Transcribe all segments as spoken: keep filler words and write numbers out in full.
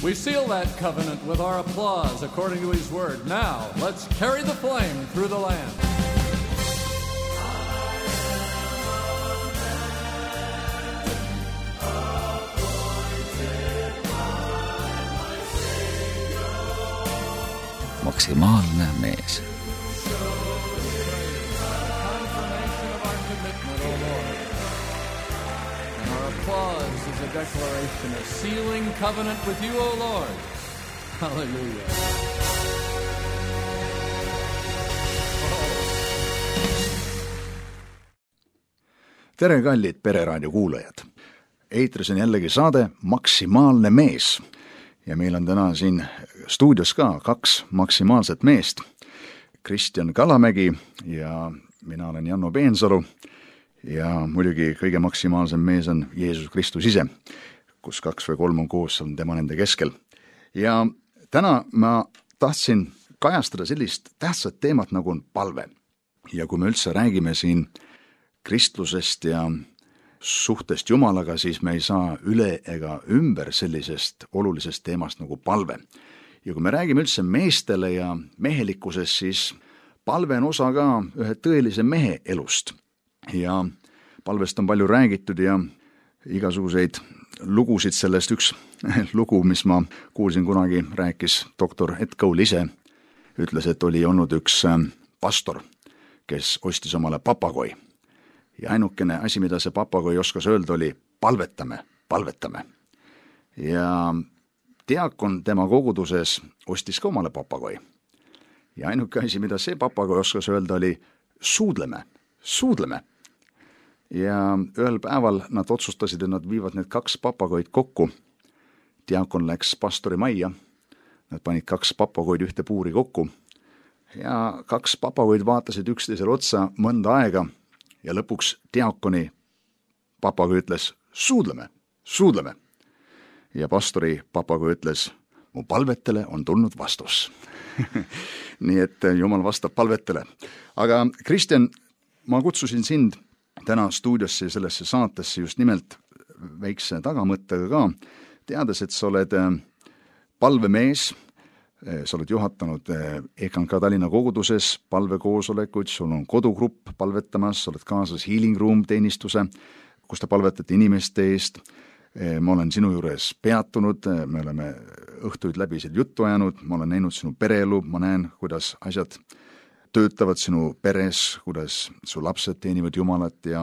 We seal that covenant with our applause according to his word. Now, let's carry the flame through the land. Maksimaalne mees. Applause is a declaration of sealing covenant with you, O Lord. Hallelujah. Tere, kallid Pereraadio kuulajad. Eetris on jällegi saade Maksimaalne mees. Ja meil on täna siin stuudios ka kaks maksimaalset meest. Kristjan Kalamägi ja mina olen Janno Peensalu. Ja muidugi kõige maksimaalsem mees on Jeesus Kristus ise, kus kaks või kolm on koos, on tema nende keskel. Ja täna ma tahtsin kajastada sellist tähtsat teemat, nagu on palve. Ja kui me üldse räägime siin kristlusest ja suhtest Jumalaga, siis me ei saa üle ega ümber sellisest olulisest teemast nagu palve. Ja kui me räägime üldse meestele ja mehelikkusest, siis palve on osa ka ühe tõelise mehe elust. Ja palvest on palju räägitud ja igasuguseid lugusid sellest. Üks lugu, mis ma kuulsin kunagi, rääkis doktor Ed Cole ise, ütles, et oli olnud üks pastor, kes ostis omale papagoi. Ja ainukene asi, mida see papagoi oskas öelda, oli palvetame, palvetame. Ja diakon tema koguduses ostis ka omale papagoi. Ja ainuke asi, mida see papagoi oskas öelda, oli suudleme, suudleme. Ja ühel päeval nad otsustasid, et nad viivad need kaks papagoid kokku. Diakon läks pastori majja, nad panid kaks papagoid ühte puuri kokku ja kaks papagoid vaatasid üksteisele otsa mõnda aega ja lõpuks diakoni papagoi ütles, suudleme, suudleme. Ja pastori papagoi ütles, mu palvetele on tulnud vastus. Nii et Jumal vastab palvetele. Aga Kristjan, ma kutsusin sind täna stuudiosse sellesse saatesse just nimelt väikse tagamõttega ka, teades, et sa oled palvemees, sa oled juhatanud E K N Tallinna koguduses palvekoosolekuid, sul on kodugrupp palvetamas, sa oled kaasas Healing Room teenistuse, kus te palvetate inimeste eest. Ma olen sinu juures peatunud, me oleme õhtuid läbi seal juttu ajanud, ma olen näinud sinu pereelu, ma näen, kuidas asjad töötavad sinu peres, kuidas su lapsed teenivad Jumalat ja,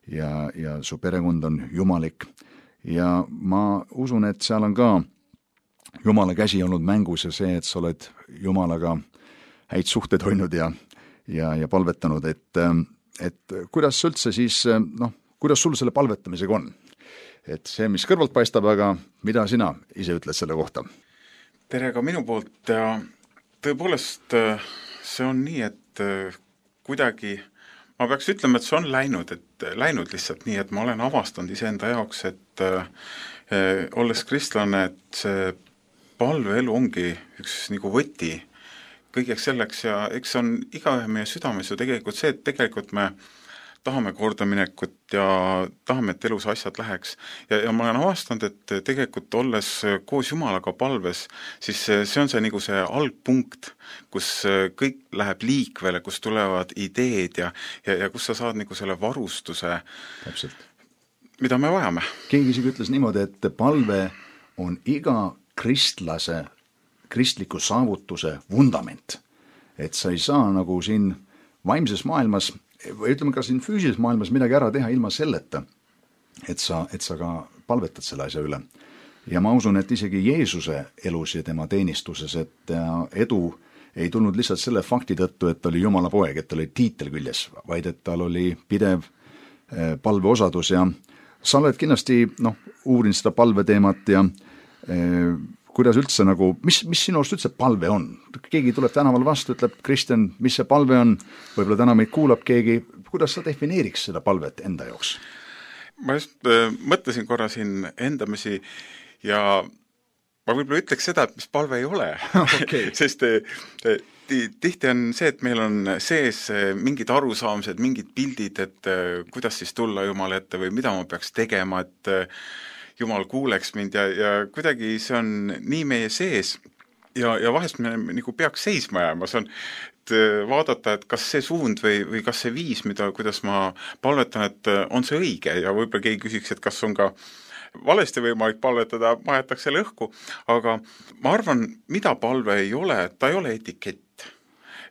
ja, ja su perekond on jumalik. Ja ma usun, et seal on ka Jumala käsi olnud mängus ja see, et sa oled Jumalaga häid suhteid hoidnud ja, ja, ja palvetanud, et, et kuidas üldse siis, noh, kuidas sul selle palvetamisega on? Et see, mis kõrvalt paistab, aga mida sina ise ütled selle kohta? Tere ka minu poolt ja tõepoolest see on nii, et kuidagi, ma peaks ütlema, et see on läinud, et läinud lihtsalt nii, et ma olen avastanud iseenda jaoks, et äh, olles kristlane, et see palveelu ongi üks nagu võti kõigeks selleks ja eks on igaühe meie südames ju tegelikult see, et tegelikult me tahame kordaminekut ja tahame, et elus asjad läheks. Ja, ja ma olen avastanud, et tegelikult olles koos Jumalaga palves, siis see on see, nagu see algpunkt, kus kõik läheb liikvele, kus tulevad ideed ja, ja, ja kus sa saad nagu selle varustuse, Täpselt. Mida me vajame. Keegi isegi ütles niimoodi, et palve on iga kristlase, kristliku saavutuse vundament. Et sa ei saa nagu siin vaimses maailmas või ütleme ka siin füüsilises maailmas midagi ära teha ilma selleta, et sa, et sa ka palvetad selle asja üle. Ja ma usun, et isegi Jeesuse elus ja tema teenistuses, et edu ei tulnud lihtsalt selle fakti tõttu, et ta oli Jumala poeg, et ta oli tiitel küljes, vaid et tal oli pidev palveosadus ja sa oled kindlasti noh, uurinud seda palveteemat ja eh, kuidas üldse nagu, mis, mis sinu arust üldse palve on? Keegi tuleb tänaval vastu, ütleb, Kristjan, mis see palve on? Võib-olla täna meid kuulab keegi. Kuidas sa defineeriks seda palvet enda jaoks? Ma just äh, mõtlesin korra siin endamisi ja ma võib-olla ütleks seda, et mis palve ei ole. Okay. Sest äh, tihti on see, et meil on sees mingid arusaamised, mingid pildid, et äh, kuidas siis tulla Jumala ette või mida ma peaks tegema, et äh, Jumal kuuleks mind ja, ja kuidagi see on nii meie sees ja, ja vahest me nagu peaks seisma jääma, see on vaadata, et kas see suund või, või kas see viis, mida, kuidas ma palvetan, et on see õige ja võib-olla keegi küsiks, et kas on ka valesti võimalik palvetada, ma jätaks selle õhku, aga ma arvan, mida palve ei ole, ta ei ole etikett.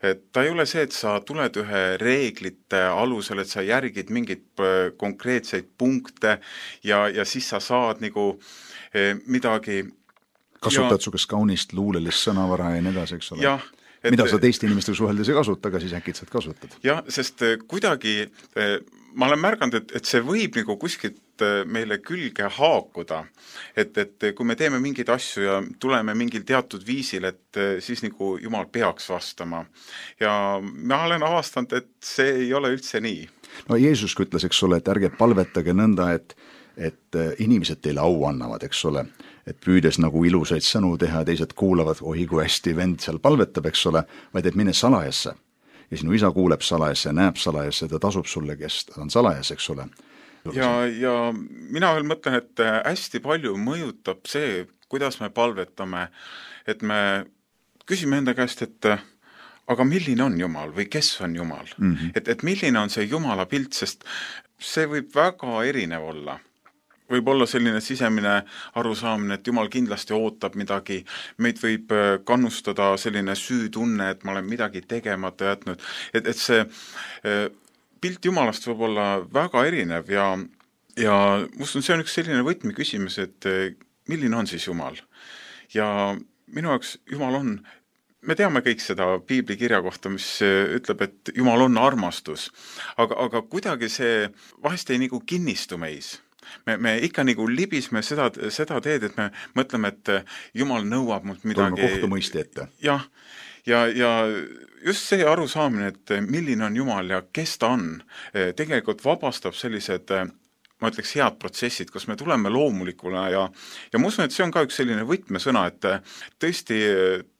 Et ta ei ole see, et sa tuled ühe reeglite alusel, et sa järgid mingeid konkreetseid punkte ja, ja siis sa saad nagu midagi kasutad ja, su kas kaunist luulelist sõnavara ja nii edasi, eks ole? Jah, et, mida sa teiste inimestega suheldes ei kasuta, aga siis äkitselt kasutad. Jah, sest kuidagi ma olen märganud, et, et see võib nagu kuskilt meile külge haakuda, et, et kui me teeme mingeid asju ja tuleme mingil teatud viisil, et siis nagu Jumal peaks vastama. Ja ma olen avastanud, et see ei ole üldse nii. No Jeesus ütles, eks ole, et ärge palvetage nõnda, et, et inimesed teile au annavad, eks ole, et püüdes nagu ilusaid sõnu teha, teised kuulavad, oi kui hästi vend seal palvetab, eks ole, vaid et mine salajasse. Ja sinu isa kuuleb salajasse ja näeb salajasse, ta tasub sulle, kes ta on salajas, eks ole. Ja, ja mina veel mõtlen, et hästi palju mõjutab see, kuidas me palvetame, et me küsime enda käest, et aga milline on Jumal või kes on Jumal? Mm-hmm. Et, et milline on see Jumala pilt, sest see võib väga erinev olla. Võib olla selline sisemine arusaamine, et Jumal kindlasti ootab midagi, meid võib kannustada selline süütunne, et ma olen midagi tegemata jätnud, et, et see pilt Jumalast võib olla väga erinev ja, ja must on see on üks selline võtmi küsimus, et milline on siis Jumal? Ja minu jaoks Jumal on, me teame kõik seda piibli kirja kohta, mis ütleb, et Jumal on armastus, aga, aga kuidagi see vahest ei nagu kinnistu meis. Me, me ikka nagu libisme seda, seda teed, et me mõtleme, et Jumal nõuab mult midagi. Tuleme kohtumõisti ette. Jah, ja, ja just see arusaamine, et milline on Jumal ja kes ta on, tegelikult vabastab sellised, ma ütleks, head protsessid, kus me tuleme loomulikuna ja, ja ma usun, et see on ka üks selline võtmesõna, et tõesti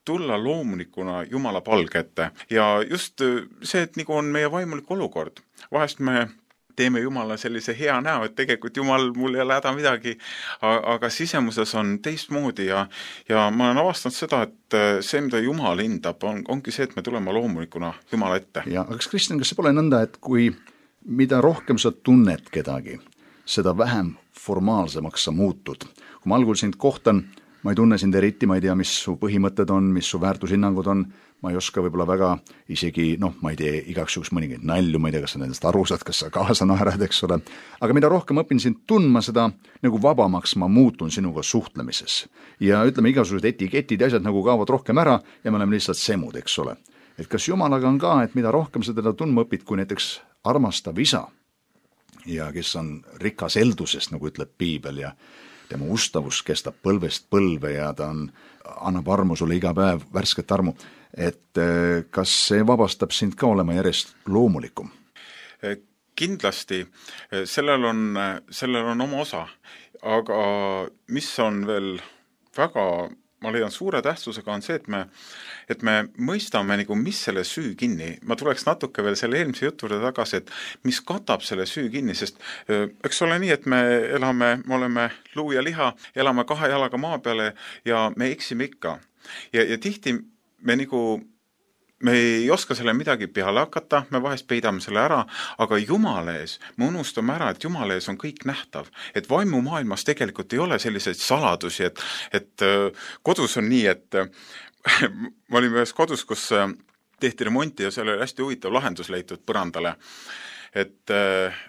tulla loomulikuna Jumala palge ette ja just see, et nagu on meie vaimulik olukord. Vahest me teeme Jumala sellise hea näo, et tegelikult Jumal mul ei ole häda midagi, aga sisemuses on teistmoodi ja, ja ma olen avastanud seda, et see, mida Jumal hindab, on, ongi see, et me tuleme loomulikuna Jumala ette. Ja, aga Kristjan, kas see pole nõnda, et kui mida rohkem sa tunned kedagi, seda vähem formaalsemaks sa muutud? Kui ma algul sind kohtan, ma ei tunne sind eriti, ma ei tea, mis su põhimõtted on, mis su väärtushinnangud on, ma ei oska võib-olla väga isegi, noh, ma ei tee igaks juhuks mõningaid nalju, ma ei tea, kas sa nendest aru saad, kas sa kaasa naerad, eks ole. Aga mida rohkem õpin sind tundma, seda nagu vabamaks ma muutun sinuga suhtlemises. Ja ütleme, igasugused etiketid ja asjad nagu kaovad rohkem ära ja me oleme lihtsalt semud, eks ole. Et kas Jumalaga on ka, et mida rohkem sa teda tundma õpid, kui näiteks armastav isa ja kes on rikas eldusest, nagu ütleb piibel ja tema ustavus kestab põlvest põlve ja ta on, annab armu sulle iga päev, värsket armu, et kas see vabastab sind ka olema järjest loomulikum? Kindlasti, sellel on, sellel on oma osa, aga mis on veel väga, ma leian suure tähtsusega on see, et me, et me mõistame, nagu, mis selle süü kinni. Ma tuleks natuke veel selle eelmise jutuurde tagasi, et mis katab selle süü kinni, sest eks ole nii, et me elame, me oleme luu ja liha, elame kahe jalaga maa peale ja me eksime ikka. Ja, ja tihti me nagu me ei oska selle midagi peale hakata, me vahest peidame selle ära, aga Jumala ees, me unustame ära, et Jumala ees on kõik nähtav. Et vaimumaailmas tegelikult ei ole selliseid saladusi, et, et kodus on nii, et ma olin ühes kodus, kus tehti remonti ja seal oli hästi huvitav lahendus leitud põrandale. Et,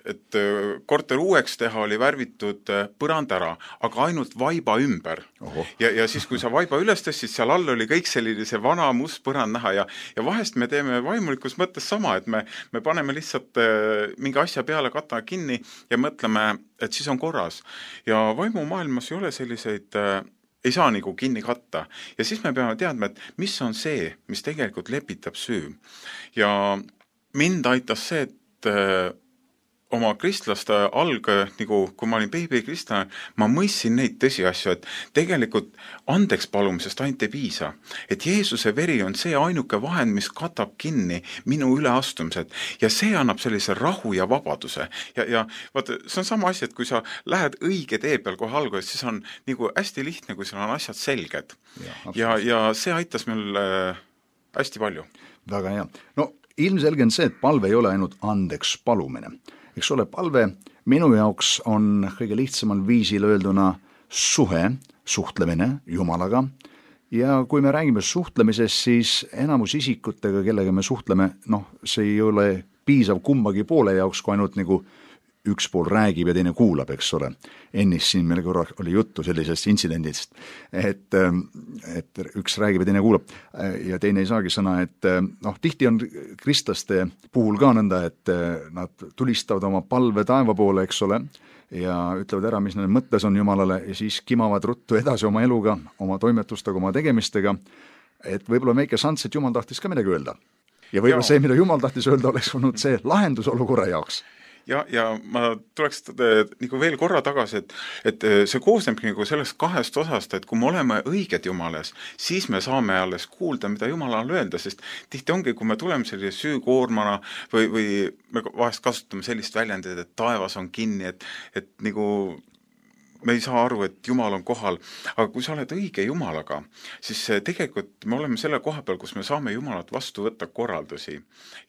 et korter uueks teha oli värvitud põrand ära, aga ainult vaiba ümber. Ja, ja siis, kui sa vaiba üles tõstsid, seal all oli kõik selline see vana must põrand näha ja, ja vahest me teeme vaimulikus mõttes sama, et me, me paneme lihtsalt mingi asja peale, katame kinni ja mõtleme, et siis on korras. Ja vaimumaailmas ei ole selliseid ei saa nagu kinni katta. Ja siis me peame teadma, et mis on see, mis tegelikult lepitab süü. Ja mind aitas see, et oma kristlaste alg, nagu kui ma olin beebikristlane, ma mõistsin neid tõsiasju, et tegelikult andeks palumisest ainult ei piisa. Et Jeesuse veri on see ainuke vahend, mis katab kinni minu üleastumised ja see annab sellise rahu ja vabaduse. Ja, ja vaata, see on sama asi, et kui sa lähed õige tee peal kohe alguses, siis on nagu hästi lihtne, kui sul on asjad selged. Ja, ja, ja see aitas meil äh, hästi palju. Väga hea. No ilmselge on see, et palve ei ole ainult andeks palumine. Eks ole, palve minu jaoks on kõige lihtsamal viisil öelduna suhe, suhtlemine Jumalaga ja kui me räägime suhtlemisest, siis enamus isikutega, kellega me suhtleme, noh, see ei ole piisav kumbagi poole jaoks, kui ainult nagu üks pool räägib ja teine kuulab, eks ole. Ennist siin meil korra oli juttu sellisest intsidendist, et, et üks räägib ja teine kuulab ja teine ei saagi sõna, et noh, tihti on kristlaste puhul ka nõnda, et nad tulistavad oma palve taeva poole, eks ole, ja ütlevad ära, mis nende mõttes on Jumalale ja siis kimavad ruttu edasi oma eluga, oma toimetustega, oma tegemistega, et võib-olla väike šants, et Jumal tahtis ka midagi öelda. Ja võib-olla see, mida Jumal tahtis öelda, oleks olnud see lahendus olukorra jaoks. Ja, ja ma tuleks nagu veel korra tagasi, et, et see koosneb nagu sellest kahest osast, et kui me oleme õiged Jumales, siis me saame alles kuulda, mida Jumalal öelda, sest tihti ongi, kui me tuleme sellise süükoormana või, või me vahest kasutame sellist väljendit, et taevas on kinni, et, et nagu me ei saa aru, et Jumal on kohal, aga kui sa oled õige Jumalaga, siis tegelikult me oleme selle koha peal, kus me saame Jumalat vastu võtta korraldusi.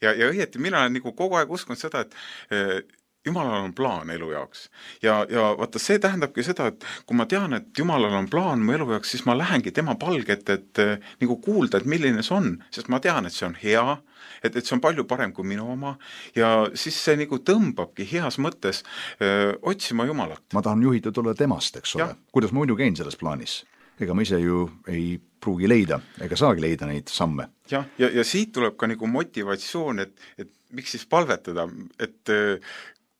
Ja, ja õieti, mina olen nagu kogu aeg uskunud seda, et Jumalal on plaan elu jaoks. Ja, ja vaata, see tähendabki seda, et kui ma tean, et Jumalal on plaan mu elu jaoks, siis ma lähengi tema palget, et nagu kuulda, et milline see on, sest ma tean, et see on hea, et, et see on palju parem kui minu oma ja siis see nagu tõmbabki heas mõttes öö, otsima Jumalat. Ma tahan juhitud olla temast, eks ole. Kuidas ma muidu käin selles plaanis? Ega ma ise ju ei pruugi leida, ega saagi leida neid samme. Ja, ja, ja siit tuleb ka nagu motivatsioon, et, et miks siis palvetada, et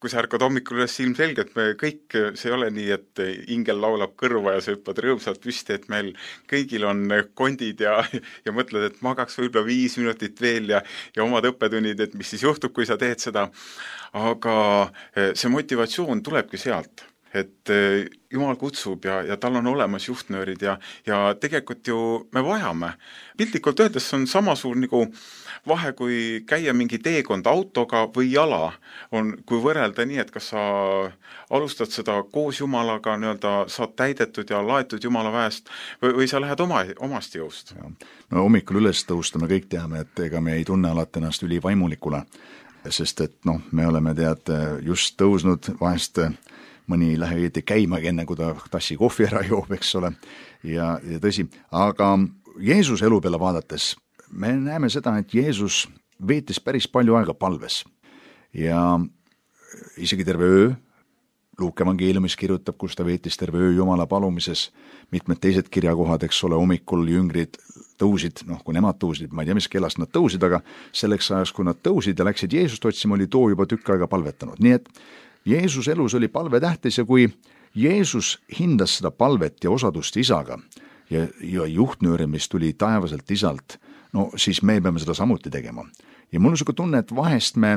kui sa ärkad hommikul üles ilmselgelt, me kõik, see ei ole nii, et ingel laulab kõrva ja sa hüppad rõõmsalt püsti, et meil kõigil on kondid ja, ja mõtled, et magaks võib-olla viis minutit veel ja, ja omad õppetunnid, et mis siis juhtub, kui sa teed seda. Aga see motivatsioon tulebki sealt, et Jumal kutsub ja, ja tal on olemas juhtnöörid ja, ja tegelikult ju me vajame. Piltlikult öeldes on sama suur nagu vahe, kui käia mingi teekond autoga või jala, on, kui võrrelda nii, et kas sa alustad seda koos Jumalaga, nii-öelda saad täidetud ja laetud Jumala väest või, või sa lähed oma, omast jõust. No hommikul üles tõusta me kõik teame, et ega me ei tunne alati ennast ülivaimulikule, sest et noh, me oleme tead just tõusnud vahest mõni lähe õieti käimagi enne, kui ta tassi kohvi ära joob, eks ole, ja, ja tõsi, aga Jeesus elu peale vaadates me näeme seda, et Jeesus veetis päris palju aega palves ja isegi terve öö, Luuke evangeeliumis kirjutab, kus ta veetis terve öö Jumala palumises, mitmed teised kirjakohad, eks ole, hommikul jüngrid tõusid, noh, kui nemad tõusid, ma ei tea, mis kellast nad tõusid, aga selleks ajaks, kui nad tõusid ja läksid Jeesust otsima, oli too juba tükk aega palvetanud, nii et Jeesus elus oli palve tähtis ja kui Jeesus hindas seda palvet ja osadust isaga ja, ja juhtnööri, mis tuli taevaselt isalt, no siis me peame seda samuti tegema. Ja mul on selline tunne, et vahest me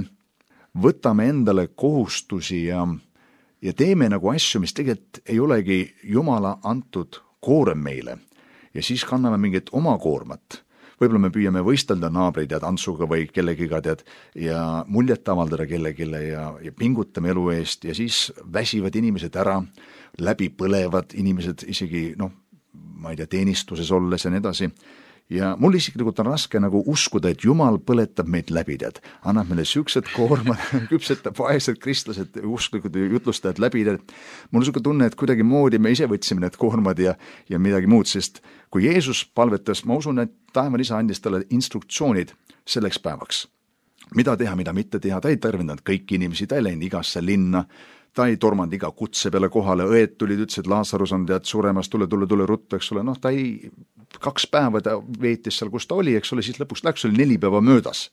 võtame endale kohustusi ja, ja teeme nagu asju, mis tegelikult ei olegi Jumala antud koorem meile ja siis kanname mingit oma koormat. Võib-olla me püüame võistelda naabreid ja tantsuga või kellegiga tead ja muljet avaldada kellegile ja, ja pingutame elu eest ja siis väsivad inimesed ära, läbi põlevad inimesed isegi, noh, ma ei tea, teenistuses olles ja nii edasi. Ja mul isiklikult on raske nagu uskuda, et Jumal põletab meid läbi, tead. Annab meile süksed koormad, küpsetab vaesed kristlased, usklikud jutlustajad läbi, tead. Mul on selline tunne, et kuidagi moodi me ise võtsime need koormad ja, ja midagi muud, sest kui Jeesus palvetas, ma usun, et taevan isa andis talle instruktsioonid selleks päevaks. Mida teha, mida mitte teha, ta ei tarvindanud kõiki inimesi, ta ei läinud igasse linna, ta ei tormanud iga kutse peale kohale, õed tulid, ütles, et Laasarus on tead suremas, tule, tule, tule ruttu, eks ole, noh, ta ei, kaks päeva ta veetis seal, kus ta oli, eks ole, siis lõpuks läks, oli neli päeva möödas.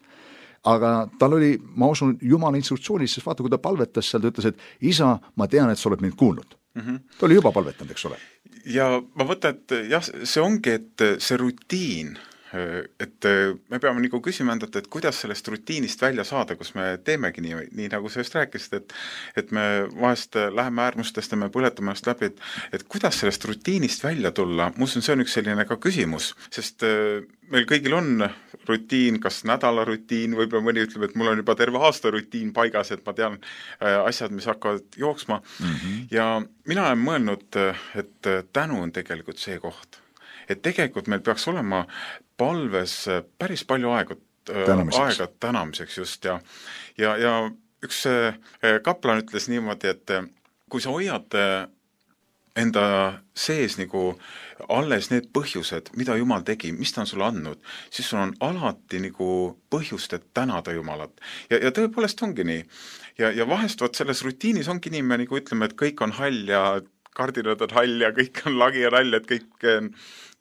Aga tal oli, ma usun, Jumala instruktsioonis, sest vaata, kui ta palvetas seal, ta ütles, et isa, ma tean, et sa oled mind kuulnud. Mm-hmm. Ta oli juba palvetanud, eks ole. Ja ma võtan, et jah, see ongi, et see rutiin et me peame nagu küsima endalt, et kuidas sellest rutiinist välja saada, kus me teemegi nii, nii nagu sa just rääkisid, et et me vahest läheme äärmustest ja me põletame ennast läbi, et, et kuidas sellest rutiinist välja tulla. Muuseas, see on üks selline ka küsimus, sest meil kõigil on rutiin, kas nädala rutiin, võib-olla mõni ütleb, et mul on juba terve aasta rutiin paigas, et ma tean asjad, mis hakkavad jooksma. Mm-hmm. Ja mina olen mõelnud, et tänu on tegelikult see koht. Et tegelikult meil peaks olema palves päris palju aega tänamiseks, aega tänamiseks just ja, ja, ja üks kaplan ütles niimoodi, et kui sa hoiad enda sees nagu alles need põhjused, mida Jumal tegi, mis ta on sulle andnud, siis sul on alati nagu põhjust, et tänada Jumalat. Ja, ja tõepoolest ongi nii. Ja, ja vahest võt selles rutiinis ongi nii, me nagu ütleme, et kõik on hall ja kardinad on hall ja kõik on lagi ja rall, et kõik,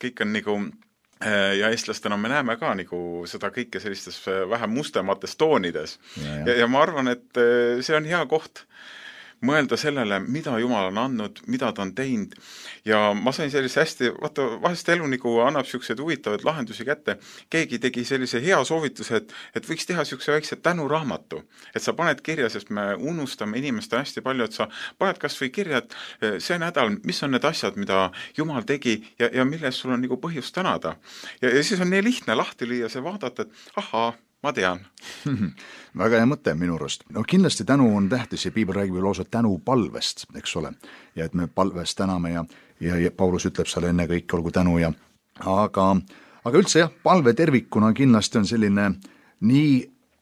kõik on nagu, ja eestlastena me näeme ka nagu seda kõike sellistes vähem mustemates toonides. Ja, ja. ja ma arvan, et see on hea koht mõelda sellele, mida Jumal on andnud, mida ta on teinud ja ma sain sellise hästi, vaata, vahest elu nagu annab siuksed huvitavad lahendusi kätte. Keegi tegi sellise hea soovituse, et, et võiks teha siukse väikse tänuraamatu, et sa paned kirja, sest me unustame inimeste hästi palju, et sa paned kas või kirja, et see nädal, mis on need asjad, mida Jumal tegi ja, ja milles sul on nagu põhjust tänada. Ja, ja siis on nii lihtne lahti lüüa see vaadata, et ahaa, ma tean. Väga hea mõte minu arust. No kindlasti tänu on tähtis ja Piibel räägib ju lausa tänu palvest, eks ole. Ja et me palvest täname ja, ja, ja Paulus ütleb seal enne kõik olgu tänu ja aga, aga üldse jah, palve tervikuna kindlasti on selline nii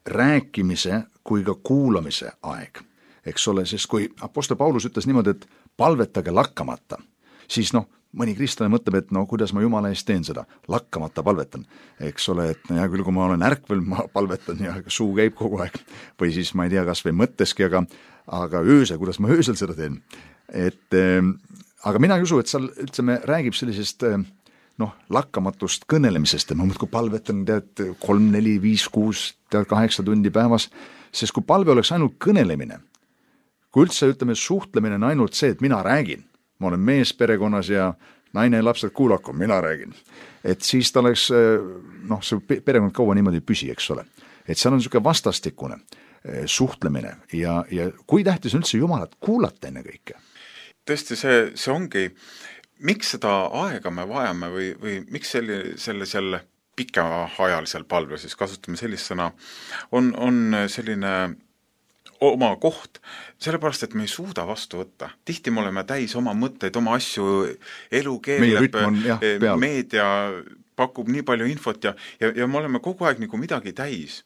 rääkimise kui ka kuulamise aeg, eks ole, sest kui apostel Paulus ütles niimoodi, et palvetage lakkamata, siis noh, mõni kristlane mõtleb, et no kuidas ma Jumala eest teen seda, lakkamata palvetan, eks ole, et no, ja küll kui ma olen ärkvel, ma palvetan ja suu käib kogu aeg, või siis ma ei tea, kas või mõtteski, aga, aga öösel, kuidas ma öösel seda teen. Et, äh, aga mina ei usu, et seal üldse me räägib sellisest äh, noh, lakkamatust kõnelemisest, et ma mõtlen, kui palvetan tead kolm, neli, viis, kuus, tead kaheksa tundi päevas, sest kui palve oleks ainult kõnelemine, kui üldse ütleme, suhtlemine on ainult see, et mina räägin, ma olen mees perekonnas ja naine ja lapsed kuulaku, mina räägin. Et siis ta oleks, noh, see perekond kaua niimoodi ei püsi, eks ole. Et seal on niisugune vastastikune suhtlemine ja, ja kui tähtis on üldse Jumalat kuulata enne kõike? Tõesti, see, see ongi, miks seda aega me vajame või, või miks selle, selle, selle pikaajalisel palve, siis kasutame sellist sõna, on, on selline oma koht, sellepärast, et me ei suuda vastu võtta. Tihti me oleme täis oma mõtteid, oma asju, elu keeleb, meedia pakub nii palju infot ja, ja, ja me oleme kogu aeg nagu midagi täis.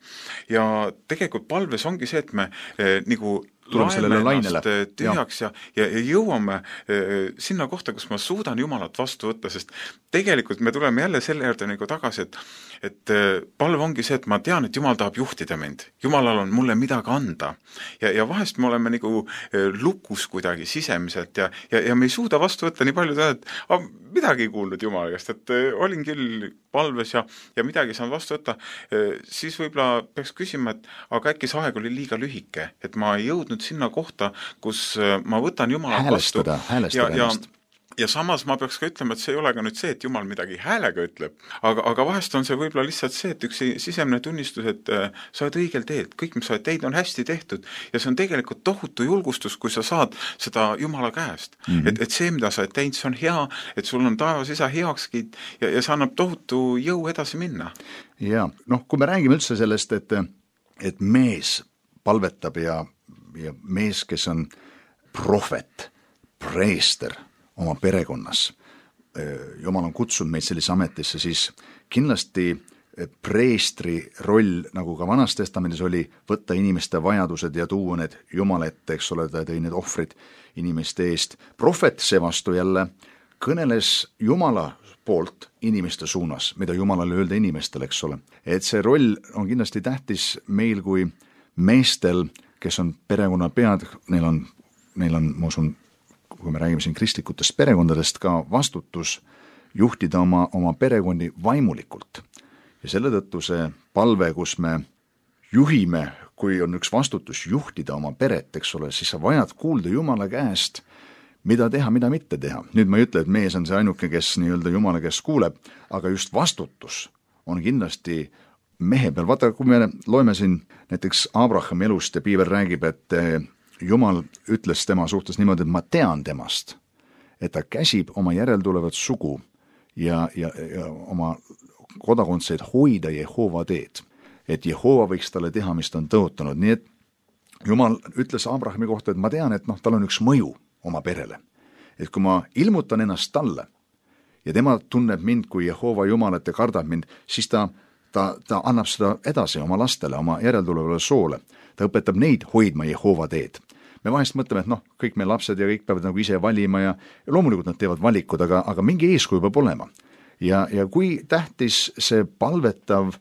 Ja tegelikult palves ongi see, et me eh, nagu laeme ennast tühjaks ja, ja, ja jõuame eh, sinna kohta, kus ma suudan Jumalat vastu võtta, sest tegelikult me tuleme jälle selle juurde nagu tagasi, et, et eh, palve ongi see, et ma tean, et Jumal tahab juhtida mind. Jumalal on mulle midagi anda. Ja, ja vahest me oleme nagu eh, lukus kuidagi sisemiselt ja, ja, ja me ei suuda vastu võtta nii palju teha, et ah, midagi ei kuulnud Jumala käest, et eh, olin küll palves ja, ja midagi saan vastu võtta, eh, siis võib-olla peaks küsima, et aga äkki see aeg oli liiga lühike, et ma ei jõudnud sinna kohta, kus ma võtan Jumala häälestada, vastu häälestada ja, ja, ja samas ma peaks ka ütlema, et see ei ole ka nüüd see, et Jumal midagi häälega ütleb, aga, aga vahest on see võib-olla lihtsalt see, et üks sisemine tunnistus, et äh, sa oled õigel teed, kõik, mis sa oled teid, on hästi tehtud ja see on tegelikult tohutu julgustus, kui sa saad seda Jumala käest. Mm -hmm. et, et see, mida sa oled teinud, see on hea, et sul on taevas isa heakskiit ja, ja see annab tohutu jõu edasi minna. Ja noh, kui me räägime üldse sellest, et, et mees palvetab ja ja mees, kes on prohvet, preester oma perekonnas, Jumal on kutsunud meid sellise ametisse, siis kindlasti preestri roll, nagu ka Vanas Testamendis oli, võtta inimeste vajadused ja tuua need Jumala ette, eks ole, ta tõi need ohvrid inimeste eest. Prohvet seevastu jälle kõneles Jumala poolt inimeste suunas, mida Jumalale öelda inimestele, eks ole. Et see roll on kindlasti tähtis meil kui meestel, kes on perekonna pead, neil on, neil on, ma usun, kui me räägime siin kristlikutest perekondadest, ka vastutus juhtida oma, oma perekondi vaimulikult. Ja selle tõttu see palve, kus me juhime, kui on üks vastutus juhtida oma peret, eks ole, siis sa vajad kuulda Jumala käest, mida teha, mida mitte teha. Nüüd ma ei ütle, et mees on see ainuke, kes nii-öelda Jumala käest kuuleb, aga just vastutus on kindlasti mehe peal. Vaata, kui me loeme siin näiteks Abrahami elust ja piibel räägib, et Jumal ütles tema suhtes niimoodi, et ma tean temast, et ta käsib oma järeltulevat sugu ja, ja, ja oma kodakondseid hoida Jehova teed. Et Jehova võiks talle teha, mis ta on tõotanud. Nii et Jumal ütles Abrahami kohta, et ma tean, et noh, tal on üks mõju oma perele. Et kui ma ilmutan ennast talle ja tema tunneb mind kui Jehova Jumalat ja kardab mind, siis ta, ta, ta annab seda edasi oma lastele, oma järeltulevale soole. Ta õpetab neid hoidma Jehova teed. Me vahest mõtleme, et noh, kõik meie lapsed ja kõik peavad nagu ise valima ja, ja loomulikult nad teevad valikud, aga, aga mingi eeskuju peab olema. Ja, ja kui tähtis see palvetav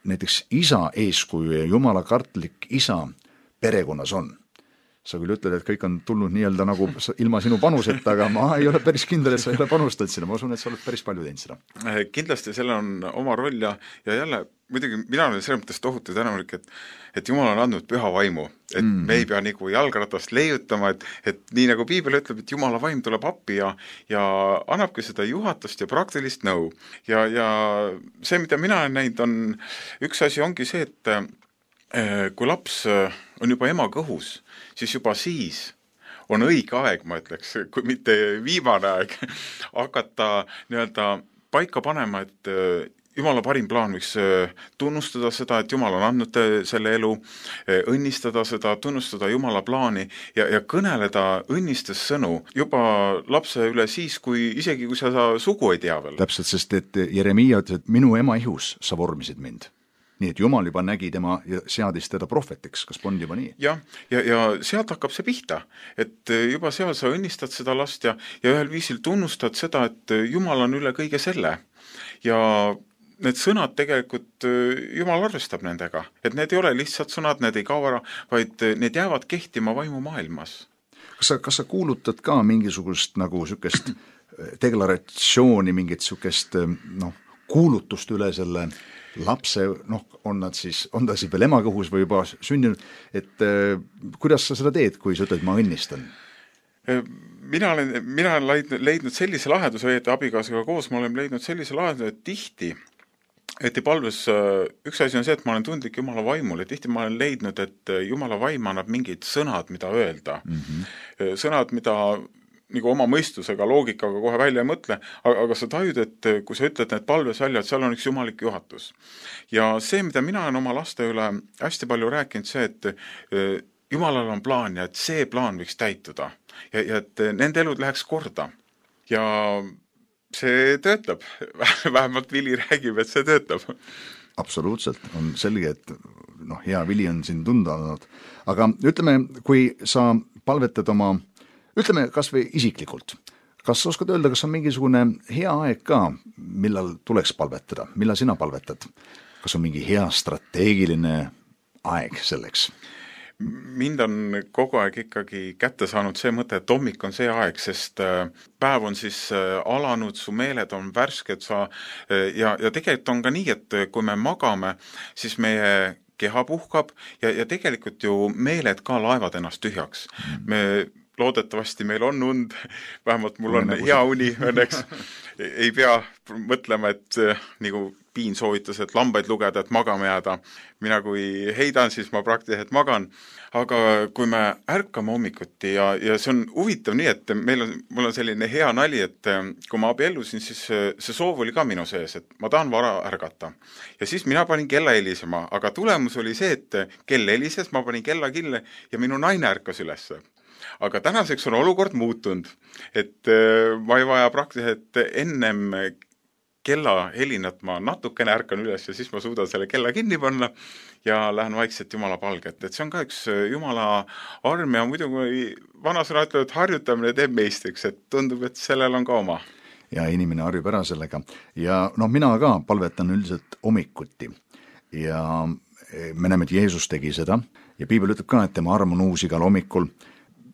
näiteks isa eeskuju ja Jumala kartlik isa perekonnas on. Sa küll ütled, et kõik on tulnud nii-öelda nagu ilma sinu panuseta, aga ma ei ole päris kindel, et sa ei ole panustanud sinna. Ma usun, et sa oled päris palju teinud seda. Kindlasti selle on oma roll ja, ja jälle muidugi mina olen selles mõttes tohutu tänulik, et, et Jumal on andnud püha vaimu, et mm. me ei pea nagu jalgratast leiutama, et, et nii nagu piibel ütleb, et Jumala vaim tuleb appi ja, ja annabki seda juhatust ja praktilist nõu. Ja, ja see, mida mina olen näinud, on üks asi ongi see, et kui laps on juba ema kõhus, siis juba siis on õige aeg, ma ütleks, kui mitte viimane aeg, hakata nii-öelda paika panema, et Jumala parim plaan võiks tunnustada seda, et Jumal on andnud selle elu, õnnistada seda, tunnustada Jumala plaani ja, ja kõneleda õnnistes sõnu juba lapse üle siis, kui isegi kui sa, sa sugu ei tea veel. Täpselt, sest et Jeremiia ütles, et minu ema ihus sa vormisid mind. Nii et Jumal juba nägi tema ja seadis teda prohvetiks, kas on juba nii? Ja, ja, ja sealt hakkab see pihta, et juba seal sa õnnistad seda last ja, ja ühel viisil tunnustad seda, et Jumal on üle kõige selle. Ja need sõnad tegelikult Jumal arvestab nendega, et need ei ole lihtsalt sõnad, need ei kao ära, vaid need jäävad kehtima vaimu maailmas. Kas sa, kas sa kuulutad ka mingisugust nagu sükest deklaratsiooni, mingit sükest noh, kuulutust üle selle lapse, noh, on nad siis, on ta siis veel emakõhus või juba sündinud, et äh, kuidas sa seda teed, kui sa ütled, ma õnnistan? Mina olen, mina olen leidnud sellise lahenduse, et abikaasega koos ma olen leidnud sellise lahenduse, et tihti, et palves, üks asi on see, et ma olen tundlik Jumala vaimule, tihti ma olen leidnud, et Jumala vaim annab mingid sõnad, mida öelda. Mm-hmm. Sõnad, mida nagu oma mõistusega, loogikaga kohe välja ei mõtle, aga, aga sa tajud, et kui sa ütled need palves välja, et seal on üks jumalik juhatus. Ja see, mida mina olen oma laste üle hästi palju rääkinud, see, et Jumalal on plaan ja et see plaan võiks täituda ja, ja et nende elud läheks korda. Ja see töötab. Vähemalt Vili räägib, et see töötab. Absoluutselt. On selge, et noh, hea Vili on siin tunda olnud. Aga ütleme, kui sa palvetad oma ütleme kas või isiklikult, kas sa oskad öelda, kas on mingisugune hea aeg ka, millal tuleks palvetada, millal sina palvetad? Kas on mingi hea strateegiline aeg selleks? Mind on kogu aeg ikkagi kätte saanud see mõte, et hommik on see aeg, sest päev on siis alanud, su meeled on värsked sa, ja, ja tegelikult on ka nii, et kui me magame, siis meie keha puhkab ja, ja tegelikult ju meeled ka laevad ennast tühjaks. Me loodetavasti meil on und, vähemalt mul on hea uni õnneks, ei pea mõtlema, et nagu Piin soovitas, et lambaid lugeda, et magama jääda. Mina kui heidan, siis ma praktiliselt magan, aga kui me ärkame hommikuti ja, ja see on huvitav nii, et meil on, mul on selline hea nali, et kui ma abiellusin, siis see soov oli ka minu sees, et ma tahan vara ärgata. Ja siis mina panin kella helisema, aga tulemus oli see, et kell helises, ma panin kella kille ja minu naine ärkas üles. Aga tänaseks on olukord muutunud, et ma ei vaja praktiliselt ennem kella helinat ma natukene ärkan üles ja siis ma suudan selle kella kinni panna ja lähen vaikselt Jumala palget. Et see on ka üks Jumala arm ja muidugi vanasõna ütleb, et harjutamine teeb meistriks, et tundub, et sellel on ka oma. Ja inimene harjub ära sellega. Ja noh, mina ka palvetan üldiselt hommikuti ja me näeme, et Jeesus tegi seda ja piibel ütleb ka, et tema arm on uus igal hommikul.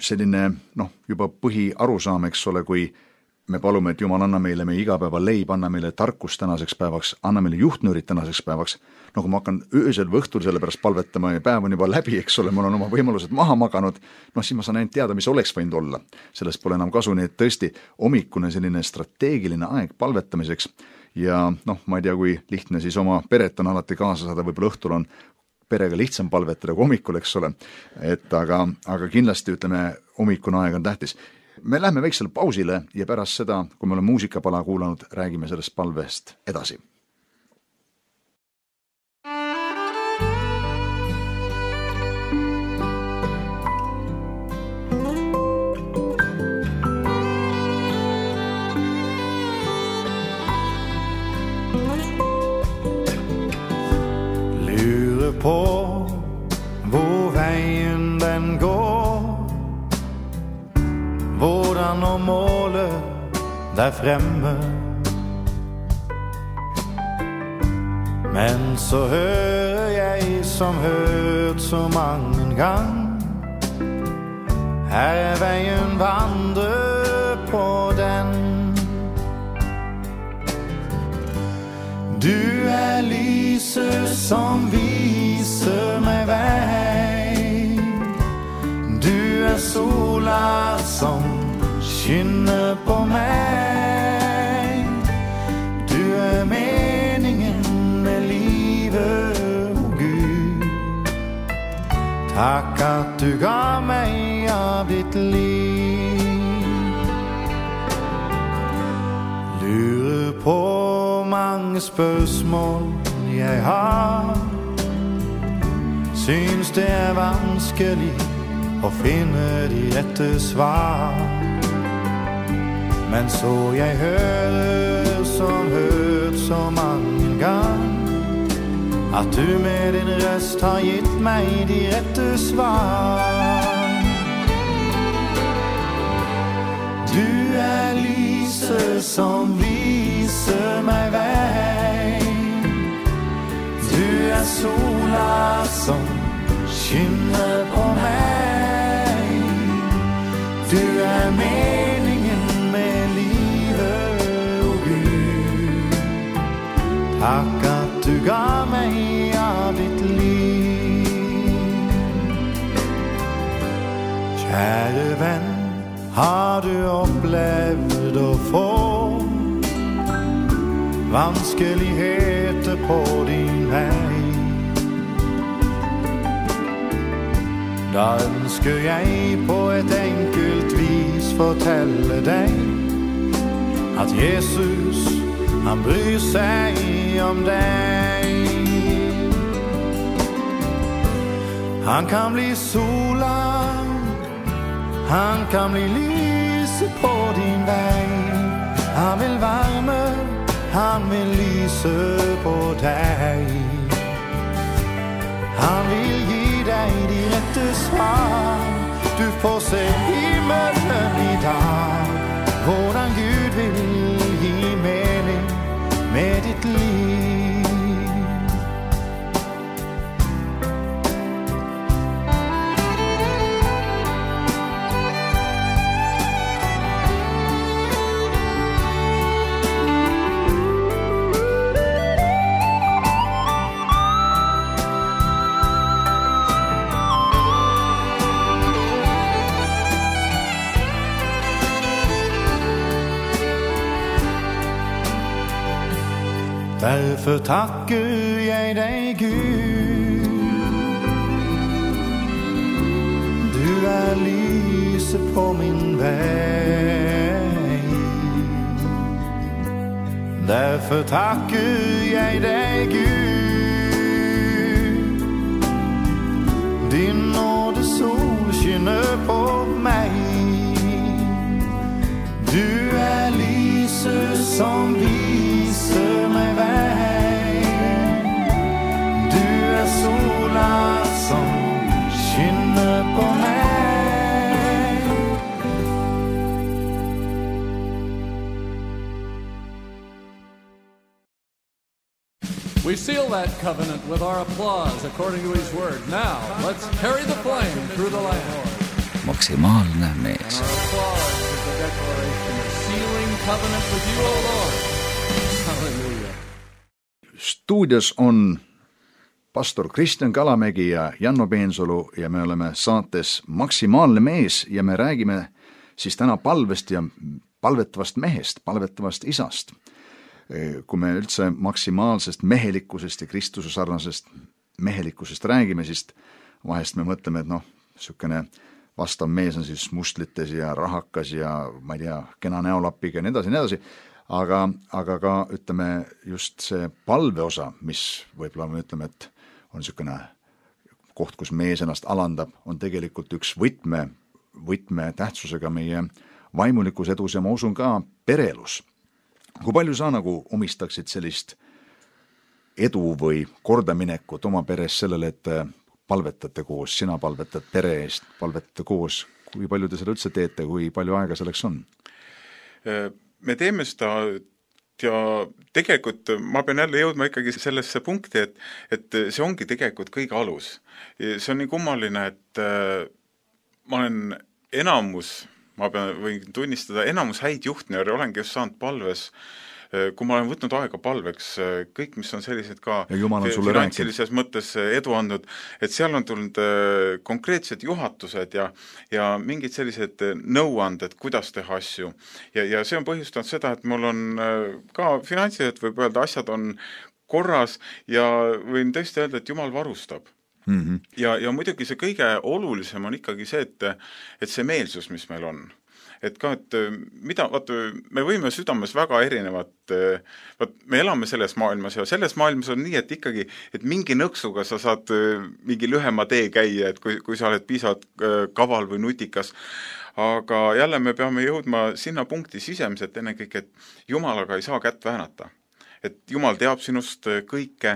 Selline noh, juba põhi arusaam, eks ole, kui me palume, et Jumal anna meile meie igapäeva leib, anna meile tarkus tänaseks päevaks, anna meile juhtnöörid tänaseks päevaks. No kui ma hakkan öösel või õhtul selle pärast palvetama ja päev on juba läbi, eks ole, mul on oma võimalused maha maganud, noh siis ma saan ainult teada, mis oleks võinud olla. Sellest pole enam kasu, nii et tõesti hommikune selline strateegiline aeg palvetamiseks ja noh, ma ei tea, kui lihtne siis oma peret on alati kaasa saada, võib-olla õhtul on perega lihtsam palvetada kui hommikul, eks ole, et aga, aga kindlasti ütleme, hommikune aeg on tähtis. Me lähme väiksele pausile ja pärast seda, kui me oleme muusikapala kuulanud, räägime sellest palvest edasi. På hvor veien den går, hvordan når målet der fremme. Men så hører jeg som hørt så mange gang, her er veien vandre på den. Du er lyset som viser meg vei. Du er sola som skinner på meg. Du er meningen med livet, oh Gud. Takk at du ga meg av ditt liv. Lurer på mange spørsmål jeg har, syns det er vanskelig å finne de rette svar. Men så jeg hører som hørt så mange gang, at du med din røst har gitt meg de rette svar. Du er lyset som viser meg vei. Du er sola som skinner på meg. Du er meningen med livet, oh Gud. Takk at du ga meg av ditt liv. Kjære venn, har du opplevd å få vanskeligheter på din vei? Da ønsker jeg på et enkelt vis fortelle deg at Jesus, han bryr seg om deg. Han kan bli sola, han kan bli lyset på din vei. Han vil varme, han vil lyse på deg. Han vil gi deg de rette svar. Du får se himmelen i dag, hvordan Gud vil gi mening med ditt liv. Derfor takker jeg deg, Gud. Du er lyset på min vei. Derfor takker jeg deg, Gud. Din nåde sol skinner på meg. Du er lyset som viser meg vei. Du er sola som skinner på meg. We seal that covenant with our applause according to his word. Now, let's carry the flame through the land. Maksimaalne mees. Our applause is the declaration of sealing covenant with you, O Lord. Hallelujah. Stuudios on pastor Kristjan Kalamägi ja Janno Peensalu ja me oleme saates Maksimaalne mees ja me räägime siis täna palvest ja palvetavast mehest, palvetavast isast. kui me üldse maksimaalsest mehelikkusest ja Kristuse sarnasest mehelikkusest räägime, siis vahest me mõtleme, et noh, niisugune vastav mees on siis mustlites ja rahakas ja ma ei tea, kena näolapiga ja nii edasi, nii edasi, aga, aga ka ütleme just see palveosa, mis võib-olla me ütleme, et on niisugune koht, kus mees ennast alandab, on tegelikult üks võtme, võtme tähtsusega meie vaimulikus edus ja ma usun ka pereelus. Kui palju sa nagu omistaksid sellist edu või kordaminekut oma peres sellele, et palvetate koos, sina palvetad pere eest, palvetate koos, kui palju te seda üldse teete, kui palju aega selleks on? Me teeme seda ja tegelikult ma pean jälle jõudma ikkagi sellesse punkti, et, et see ongi tegelikult kõige alus. See on nii kummaline, et ma olen enamus, ma pean, võin tunnistada, enamus häid juhtnööre olengi just saanud palves, kui ma olen võtnud aega palveks, kõik, mis on sellised ka finantsilises mõttes edu andnud, et seal on tulnud konkreetsed juhatused ja, ja mingid sellised nõuanded, kuidas teha asju. Ja, ja see on põhjustanud seda, et mul on ka finantsiliselt võib öelda, asjad on korras ja võin tõesti öelda, et Jumal varustab. Mm-hmm. Ja, ja muidugi see kõige olulisem on ikkagi see, et, et see meelsus, mis meil on. Et ka, et mida, vaata, me võime südames väga erinevat, vaat, me elame selles maailmas ja selles maailmas on nii, et ikkagi, et mingi nõksuga sa saad mingi lühema tee käia, et kui, kui sa oled piisavalt kaval või nutikas, aga jälle me peame jõudma sinna punkti sisemiselt ennekõike, et Jumalaga ei saa kätt väänata. Et Jumal teab sinust kõike,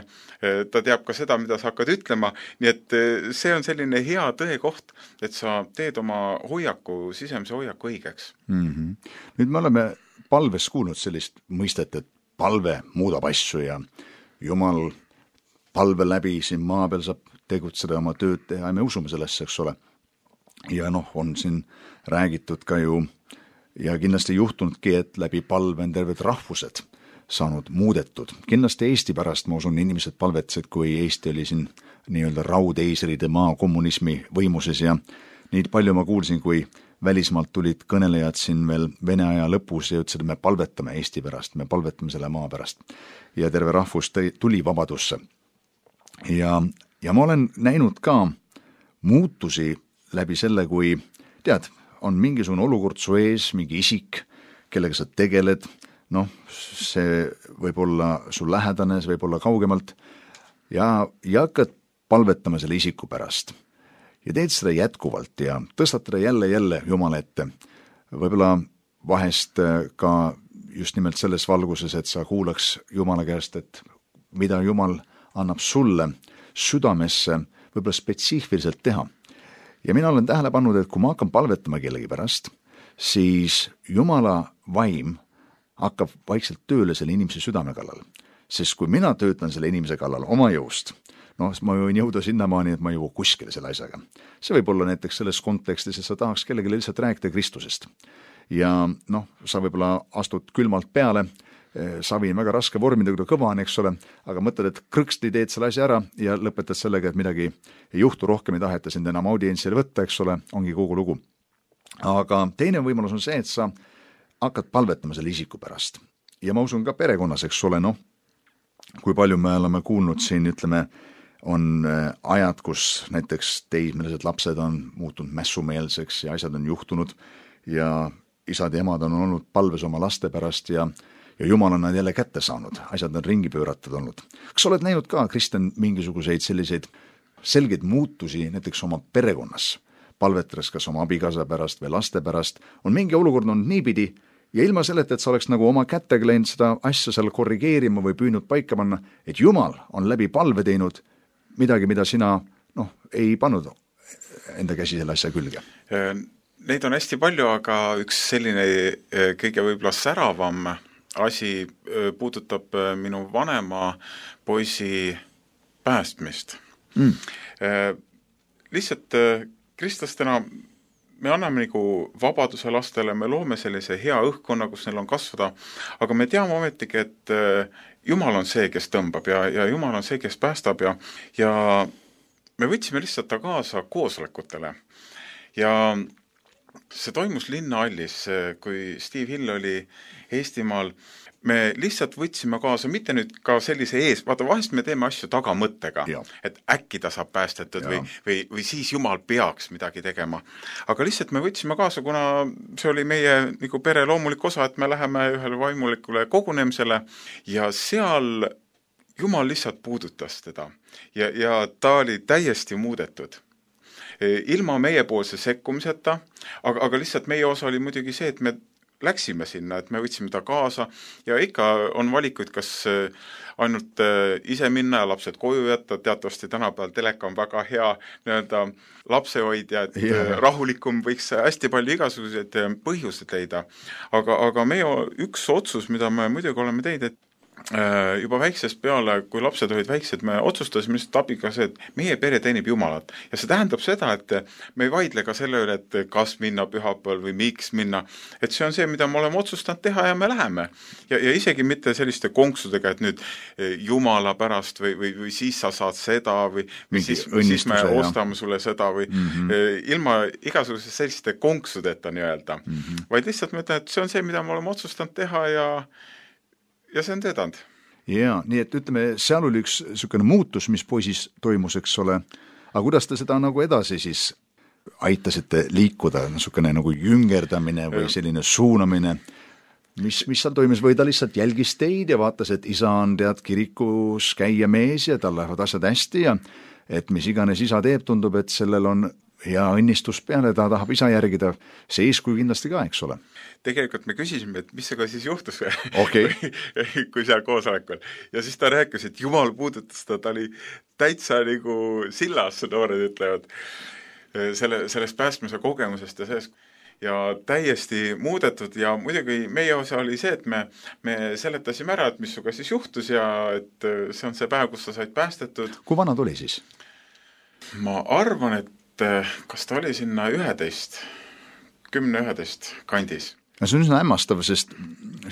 ta teab ka seda, mida sa hakkad ütlema, nii et see on selline hea tõekoht, et sa teed oma hoiaku, sisemise hoiaku õigeks. Mm-hmm. Nüüd me oleme palves kuulnud sellist mõistet, et palve muudab asju ja Jumal palve läbi siin maa peal saab tegutseda oma tööd teha ja me usume sellesse, eks ole. Ja noh, on siin räägitud ka ju ja kindlasti juhtunudki, et läbi palve on terved rahvused saanud muudetud. Kindlasti Eesti pärast, ma usun, inimesed palvetsid, kui Eesti oli siin nii-öelda raudeisride maa kommunismi võimuses ja nii palju ma kuulsin, kui välismaalt tulid kõnelejad siin veel Vene aja lõpus ja ütlesid, et me palvetame Eesti pärast, me palvetame selle maa pärast. Ja terve rahvus tuli vabadusse. Ja, ja ma olen näinud ka muutusi läbi selle, kui tead, on mingisugune olukord su ees, mingi isik, kellega sa tegeled, noh, see võib olla sul lähedane, see võib olla kaugemalt ja, ja hakkad palvetama selle isiku pärast. Ja teed seda jätkuvalt ja tõstatad jälle jälle Jumala ette. Võib-olla vahest ka just nimelt selles valguses, et sa kuulaks Jumala käest, et mida Jumal annab sulle südamesse võib-olla spetsiifiliselt teha. Ja mina olen tähele pannud, et kui ma hakkan palvetama kellegi pärast, siis Jumala vaim hakkab vaikselt tööle selle inimese südame kallal. Sest kui mina töötan selle inimese kallal oma jõust, noh, ma võin jõuda sinnamaani, et ma jõu kuskile selle asjaga. See võib olla näiteks selles kontekstis, et sa tahaks kellegi lihtsalt rääkida Kristusest. Ja noh, sa võib-olla astud külmalt peale, savi on väga raske vormida, kui ta kõva on, eks ole, aga mõtled, et krõksti teed selle asja ära ja lõpetad sellega, et midagi ei juhtu, rohkem ei taheta sind enam audientsile võtta, eks ole, ongi kogu lugu. Aga teine võimalus on see, et sa hakkad palvetama selle isiku pärast. Ja ma usun ka perekonnas, eks ole, noh, kui palju me oleme kuulnud siin, ütleme, on ajad, kus näiteks teismelised lapsed on muutunud mässumeelseks ja asjad on juhtunud ja isad ja emad on olnud palves oma laste pärast ja, ja Jumal on nad jälle kätte saanud, asjad on ringi pööratud olnud. Kas oled näinud ka, Kristjan, mingisuguseid selliseid selgeid muutusi näiteks oma perekonnas? Palvetras kas oma abikaasa pärast või laste pärast, on mingi olukord on niipidi ja ilma selleta, et sa oleks nagu oma kättega läinud seda asja seal korrigeerima või püünud paika panna, et Jumal on läbi palve teinud midagi, mida sina noh, ei pannud enda käsi selle asja külge. Neid on hästi palju, aga üks selline kõige võib-olla säravam asi puudutab minu vanema poisi päästmist. Mm. Lihtsalt kristlastena me anname nagu vabaduse lastele, me loome sellise hea õhkkonna, kus neil on kasvada, aga me teame ometigi, et Jumal on see, kes tõmbab ja, ja Jumal on see, kes päästab ja, ja me võtsime lihtsalt ta kaasa koosolekutele ja see toimus Linnahallis, kui Steve Hill oli Eestimaal. me lihtsalt võtsime kaasa, mitte nüüd ka sellise ees, vaata vahest me teeme asju tagamõttega, et äkki ta saab päästetud või, või, või siis Jumal peaks midagi tegema. Aga lihtsalt me võtsime kaasa, kuna see oli meie nagu pere loomulik osa, et me läheme ühele vaimulikule kogunemisele ja seal Jumal lihtsalt puudutas teda ja, ja ta oli täiesti muudetud. Ilma meiepoolse sekkumiseta, aga, aga lihtsalt meie osa oli muidugi see, et me läksime sinna, et me võtsime ta kaasa ja ikka on valikuid, kas ainult ise minna ja lapsed koju jätta, teatavasti tänapäeval teleka on väga hea nii-öelda lapsehoidja, et yeah. rahulikum võiks hästi palju igasuguseid põhjuseid leida. Aga, aga meie üks otsus, mida me muidugi oleme teinud, et juba väiksest peale, kui lapsed olid väiksed, me otsustasime lihtsalt abiga see, et meie pere teenib Jumalat. Ja see tähendab seda, et me ei vaidle ka selle üle, et kas minna pühapäeval või miks minna. Et see on see, mida me oleme otsustanud teha ja me läheme. Ja, ja isegi mitte selliste konksudega, et nüüd Jumala pärast või, või, või siis sa saad seda või, või siis, siis me ostame sulle seda või mm-hmm. ilma igasuguse selliste konksudeta nii-öelda. Mm-hmm. Vaid lihtsalt me ütlen, et see on see, mida me oleme otsustanud teha ja ja see on teedanud. Jaa, nii et ütleme, seal oli üks niisugune muutus, mis poisis toimus, eks ole, aga kuidas te seda nagu edasi siis aitasite liikuda, niisugune nagu jüngerdamine või selline suunamine, mis, mis seal toimus, või ta lihtsalt jälgis teid ja vaatas, et isa on tead kirikus käia mees ja tal lähevad asjad hästi ja et mis iganes isa teeb, tundub, et sellel on ja õnnistus peale, ta tahab isa järgida, see eeskuju kindlasti ka, eks ole. Tegelikult me küsisime, et mis sega siis juhtus okay. kui seal koosolekul. Ja siis ta rääkis, et Jumal puudutas ta, ta oli täitsa nagu sillas, noored ütlevad, selle, sellest päästmise kogemusest ja sellest ja täiesti muudetud ja muidugi meie osa oli see, et me, me seletasime ära, et mis suga siis juhtus ja et see on see päev, kus sa said päästetud. Kui vana tuli siis? Ma arvan, et kas ta oli sinna üheteist, kümne üheteist kandis. Ja see on üsna hämmastav, sest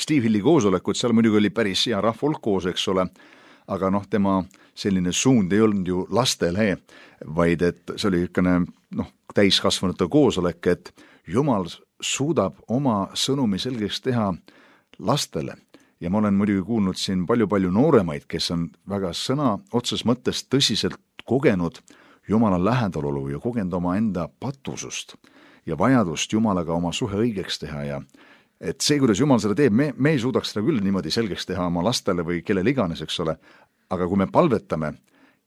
Steve Hilli koosolekud, seal muidugi oli päris hea rahvulk koos, eks ole, aga noh, tema selline suund ei olnud ju lastele, vaid et see oli ükene noh, täiskasvanute koosolek, et Jumal suudab oma sõnumi selgeks teha lastele. Ja ma olen muidugi kuulnud siin palju-palju nooremaid, kes on väga sõna otses mõttes tõsiselt kogenud Jumala lähedalolu ja kogenud oma enda patusust ja vajadust Jumalaga oma suhe õigeks teha ja et see, kuidas Jumal seda teeb, me, me ei suudaks seda küll niimoodi selgeks teha oma lastele või kellele iganes, eks ole, aga kui me palvetame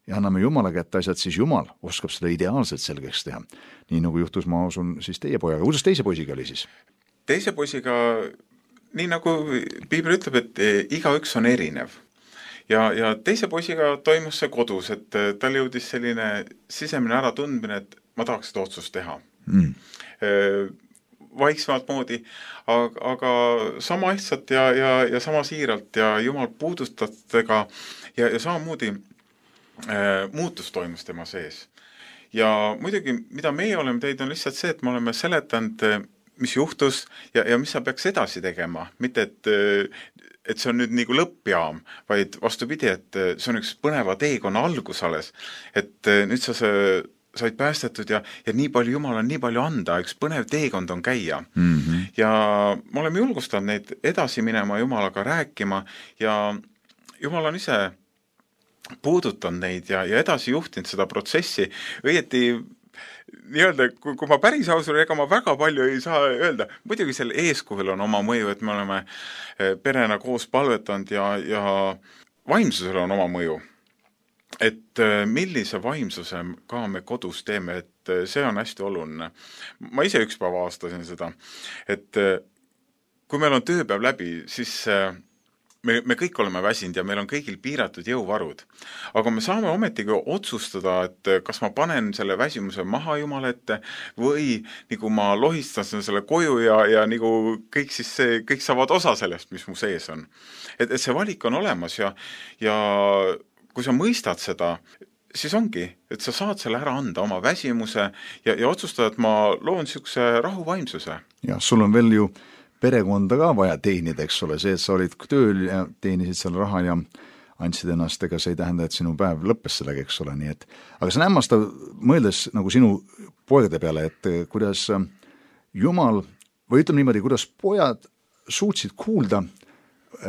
ja anname Jumala kätte asjad, siis Jumal oskab seda ideaalselt selgeks teha. Nii nagu juhtus, ma usun, siis teie pojaga. Kuidas teise poisiga oli siis? Teise poisiga, nii nagu Piibel ütleb, et igaüks on erinev. Ja, ja teise poisiga toimus see kodus, et tal jõudis selline sisemine äratundmine, et ma tahaks seda otsust teha. Mm. Vaiksemalt moodi, aga, aga sama lihtsalt ja, ja, ja sama siiralt ja Jumal puudustatega ja, ja samamoodi äh, muutus toimus tema sees. Ja muidugi, mida meie oleme teinud, on lihtsalt see, et me oleme seletanud, mis juhtus ja, ja mis sa peaks edasi tegema. Mitte, et et see on nüüd nagu lõppjaam, vaid vastupidi, et see on üks põneva teekonna algus alles, et nüüd sa said päästetud ja, ja nii palju Jumal on nii palju anda, üks põnev teekond on käia. Mm-hmm. Ja me oleme julgustanud neid edasi minema Jumalaga rääkima ja Jumal on ise puudutanud neid ja, ja edasi juhtinud seda protsessi, õieti nii-öelda, kui, kui ma päris ausur, ega ma väga palju ei saa öelda. Muidugi selle eeskuvil on oma mõju, et me oleme perena koos palvetanud ja, ja vaimsusel on oma mõju. Et millise vaimsuse ka me kodus teeme, et see on hästi oluline. Ma ise üks päeva aastasin seda, et kui meil on tööpäev läbi, siis me, me kõik oleme väsinud ja meil on kõigil piiratud jõuvarud. Aga me saame ometigi otsustada, et kas ma panen selle väsimuse maha Jumala ette või nagu ma lohistan selle koju ja, ja nagu kõik, siis see, kõik saavad osa sellest, mis mu sees on. Et, et see valik on olemas ja, ja kui sa mõistad seda, siis ongi, et sa saad selle ära anda oma väsimuse ja, ja otsustada, et ma loon niisuguse rahuvaimsuse. Ja sul on veel ju perekonda ka vaja teenida, eks ole, see, et sa olid tööl ja teenisid seal raha ja andsid ennast, ega see ei tähenda, et sinu päev lõppes sellega, eks ole, nii et aga see on hämmastav mõeldes nagu sinu poegade peale, et kuidas Jumal, või ütleme niimoodi, kuidas pojad suutsid kuulda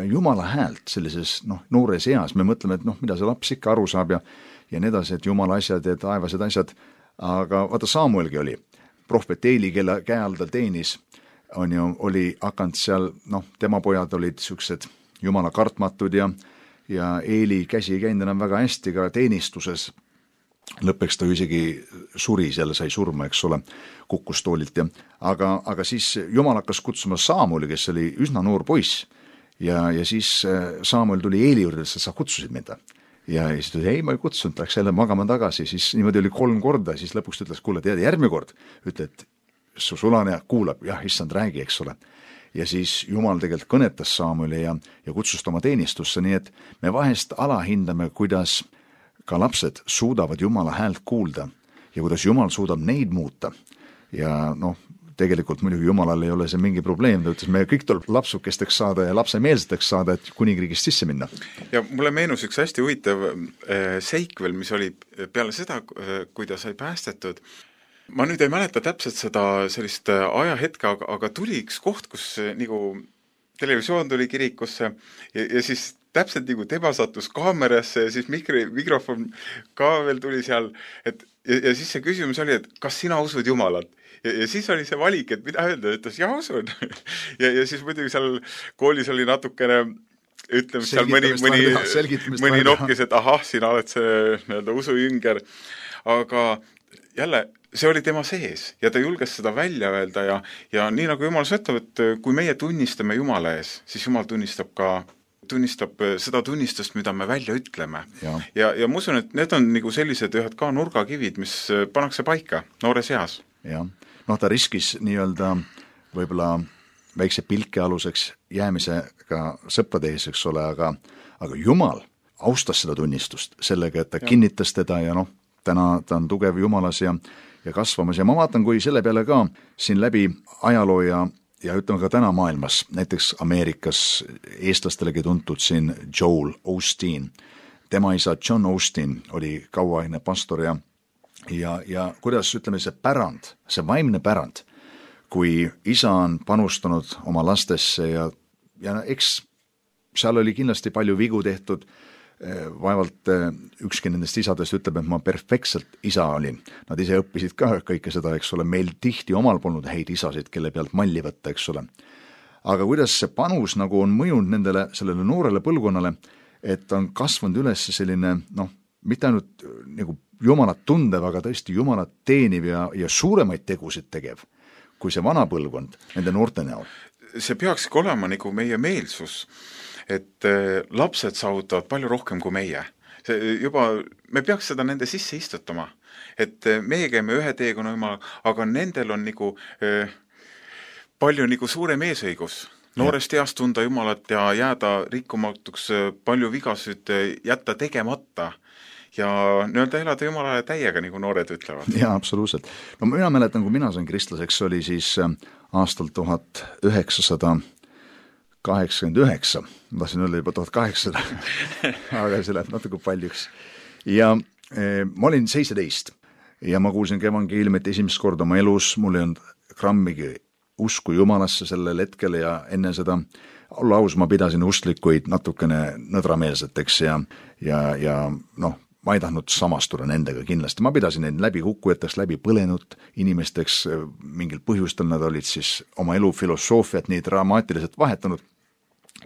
Jumala häält sellises noh, noores eas, me mõtleme, et noh, mida see laps ikka aru saab ja, ja nii edasi, et Jumala asjad ja taevased asjad, aga vaata Samuelgi oli, prohvet Eili, kelle käe all ta teenis, on ju, oli hakanud seal, noh, tema pojad olid siuksed Jumala kartmatud ja, ja Eili käsi ei käinud enam väga hästi ka teenistuses, lõppeks ta isegi suri, selle sai surma, eks ole, kukkus toolilt ja aga, aga siis Jumal hakkas kutsuma Samueli, kes oli üsna noor poiss ja, ja siis Samuel tuli Eili juurde, et sa kutsusid mind. Ja siis tuli, ei, ma ei kutsunud, läks jälle magama tagasi, siis niimoodi oli kolm korda, siis lõpuks ütles, kuule, tead, järgmine kord, ütle, et su sulane kuulab, jah, issand, räägi, eks ole. Ja siis Jumal tegelikult kõnetas Samueli ja, ja kutsus oma teenistusse, nii et me vahest alahindame, kuidas ka lapsed suudavad Jumala häält kuulda ja kuidas Jumal suudab neid muuta. Ja noh, tegelikult muidugi Jumalal ei ole see mingi probleem, ta ütles, me kõik tuleb lapsukesteks saada ja lapsemeelseteks saada, et kuningriigist sisse minna. Ja mulle meenus üks hästi huvitav seik veel, mis oli peale seda, kui ta sai päästetud. Ma nüüd ei mäleta täpselt seda sellist ajahetke, aga, aga tuli üks koht, kus nagu televisioon tuli kirikusse ja, ja siis täpselt nagu tema sattus kaamerasse ja siis mikri, mikrofon ka veel tuli seal, et ja, ja siis see küsimus oli, et kas sina usud Jumalat? Ja, ja siis oli see valik, et mida öelda, ütles, jah, usun. ja, ja siis muidugi seal koolis oli natukene, ütleme, seal mõni, mõni, mõni nokkis, et ahah, sina oled see nii-öelda usujünger, aga jälle, see oli tema sees ja ta julges seda välja öelda ja, ja nii nagu Jumal ütleb, et kui meie tunnistame Jumala ees, siis Jumal tunnistab ka tunnistab seda tunnistust, mida me välja ütleme. Ja, ja, ja ma usun, et need on nagu sellised ühed ka nurgakivid, mis pannakse paika noores eas. Ja, noh, ta riskis nii-öelda võib-olla väikse pilke aluseks jäämisega sõprade ees, eks ole, aga, aga Jumal austas seda tunnistust sellega, et ta ja. kinnitas teda ja noh, täna ta on tugev Jumalas ja, ja kasvamas ja ma vaatan, kui selle peale ka siin läbi ajaloo ja ja ütleme ka täna maailmas, näiteks Ameerikas eestlastelegi tuntud siin Joel Osteen. Tema isa John Osteen oli kauaaegne pastor ja, ja, ja kuidas ütleme see pärand, see vaimne pärand, kui isa on panustanud oma lastesse ja, ja eks seal oli kindlasti palju vigu tehtud, vaevalt ükski nendest isadest ütleb, et ma perfektselt isa olin. Nad ise õppisid ka kõike seda, eks ole, meil tihti omal polnud häid isasid, kelle pealt malli võtta, eks ole. Aga kuidas see panus nagu on mõjunud nendele, sellele noorele põlvkonnale, et on kasvanud üles selline, noh, mitte ainult nagu Jumalat tundev, aga tõesti Jumalat teeniv ja, ja suuremaid tegusid tegev, kui see vana põlvkond nende noorte näol. See peakski olema nagu meie meelsus, et lapsed saavutavad palju rohkem kui meie. See juba, me peaks seda nende sisse istutama, et meie käime ühe teekonna Jumala, aga nendel on nagu eh, palju nagu suurem eesõigus. Noorest east tunda Jumalat ja jääda rikkumatuks, palju vigasud jätta tegemata ja nii-öelda elada Jumalale täiega, nagu noored ütlevad. Jaa, absoluutselt. No mina mäletan, kui mina sain kristlaseks, oli siis aastal tuhat üheksasada kaheksakümmend üheksa, ma tahtsin öelda juba tuhat kaheksasada, aga see läheb natuke paljuks. Ja e, ma olin seitseteist ja ma kuulsin evangeeliumit esimest korda oma elus, mul ei olnud grammigi usku Jumalasse sellel hetkel ja enne seda, olla aus, ma pidasin usklikuid natukene nõdrameelseteks ja, ja, ja noh, ma ei tahtnud samastuda nendega kindlasti, ma pidasin neid läbi kukkujateks, läbi põlenud inimesteks, mingil põhjustel nad olid siis oma elu filosoofiat nii dramaatiliselt vahetanud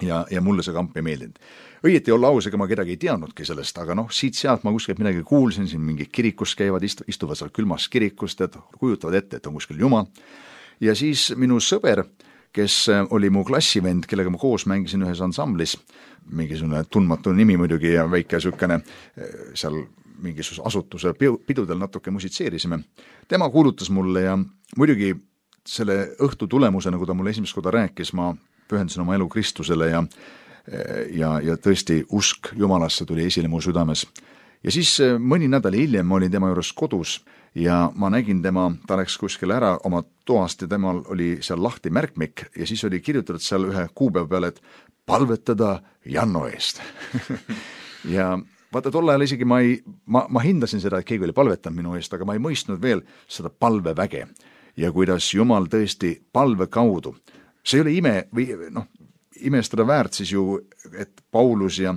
ja, ja mulle see kamp ei meeldinud. Õieti olla aus, ega ma kedagi ei teadnudki sellest, aga noh, siit-sealt ma kuskilt midagi kuulsin, siin mingi kirikus käivad, istu, istuvad seal külmas kirikust, et kujutavad ette, et on kuskil Jumal. Ja siis minu sõber, kes oli mu klassivend, kellega ma koos mängisin ühes ansamblis, mingisugune tundmatu nimi muidugi ja väike sükene seal mingisuguse asutuse pidudel natuke musitseerisime. Tema kuulutas mulle ja muidugi selle õhtu tulemuse, nagu ta mulle esimest korda rääkis, ma pühendasin oma elu Kristusele ja, ja, ja tõesti usk Jumalasse tuli esile mu südames. Ja siis mõni nädal hiljem ma olin tema juures kodus ja ma nägin tema, ta läks kuskil ära oma toast ja temal oli seal lahti märkmik ja siis oli kirjutatud seal ühe kuupäeva peale, et palvetada Janno eest. ja vaata, tol ajal isegi ma, ei, ma, ma hindasin seda, et keegi oli palvetanud minu eest, aga ma ei mõistnud veel seda palveväge ja kuidas Jumal tõesti palve kaudu, see ei ole ime või noh, imestada väärt siis ju, et Paulus ja,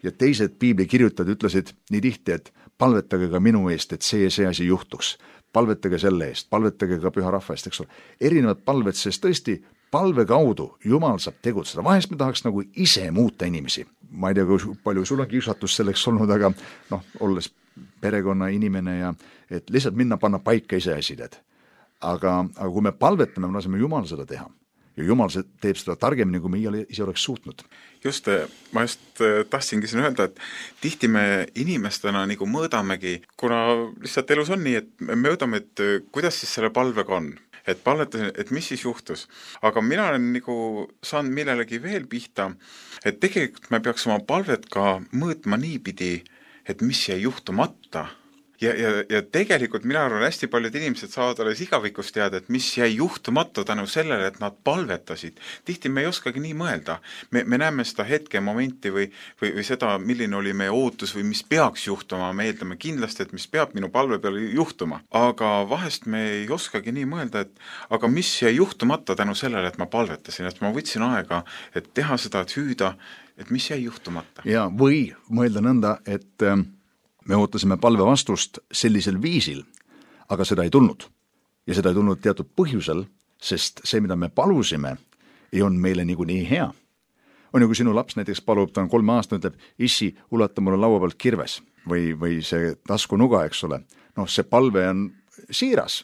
ja teised piiblikirjutajad ütlesid nii tihti, et palvetage ka minu eest, et see ja see asi juhtuks. Palvetage selle eest, palvetage ka püha rahva eest, eks ole. Erinevad palved, sest tõesti palve kaudu Jumal saab tegutseda. Vahest me tahaks nagu ise muuta inimesi. Ma ei tea, kui palju sul on kiusatus selleks olnud, aga noh, olles perekonna inimene ja et lihtsalt minna panna paika ise asided. Aga, aga kui me palvetame, me laseme Jumal seda teha. Ja Jumal teeb seda targemini, kui me ise oleks suutnud. Just, ma just tahtsingi siin öelda, et tihti me inimestena nagu mõõdamegi, kuna lihtsalt elus on nii, et me mõõdame, et kuidas siis selle palvega on. Et palvetasin, et mis siis juhtus. Aga mina olen nagu saanud millelegi veel pihta, et tegelikult me peaks oma palvet ka mõõtma niipidi, et mis jäi juhtumata. Ja, ja, ja tegelikult mina arvan, hästi paljud inimesed saavad alles igavikus teada, et mis jäi juhtumata tänu sellele, et nad palvetasid. Tihti me ei oskagi nii mõelda. Me, me näeme seda hetke momenti või, või, või seda, milline oli meie ootus või mis peaks juhtuma. Me eeldame kindlasti, et mis peab minu palve peale juhtuma. Aga vahest me ei oskagi nii mõelda, et aga mis jäi juhtumata tänu sellele, et ma palvetasin, et ma võtsin aega, et teha seda, et hüüda, et mis jäi juhtumata. Ja, või mõelda nõnda, et me ootasime palve vastust sellisel viisil, aga seda ei tulnud. Ja seda ei tulnud teatud põhjusel, sest see, mida me palusime, ei on meile nagu nii hea. On ju, kui sinu laps näiteks palub, ta on kolme aasta, ütleb, issi, ulata mulle laua pealt kirves või, või see taskunuga, eks ole. Noh, see palve on siiras,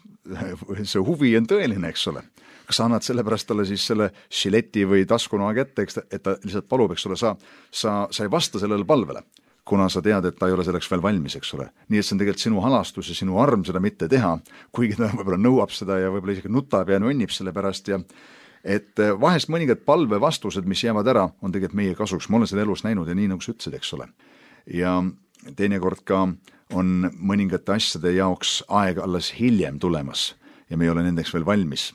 see huvi on tõeline, eks ole. Kas sa annad sellepärast talle siis selle šileti või taskunuga kätte, et ta lihtsalt palub, eks ole, sa, sa, sa ei vasta sellele palvele, kuna sa tead, et ta ei ole selleks veel valmis, eks ole. Nii et see on tegelikult sinu halastus ja sinu arm seda mitte teha, kuigi ta võib-olla nõuab seda ja võib-olla isegi nutab ja nonnib selle pärast. Ja et vahest mõningad palve vastused, mis jäävad ära, on tegelikult meie kasuks. Ma olen seda elus näinud ja nii nagu sa ütlesid, eks ole. Ja teinekord ka on mõningate asjade jaoks aeg alles hiljem tulemas ja me ei ole nendeks veel valmis.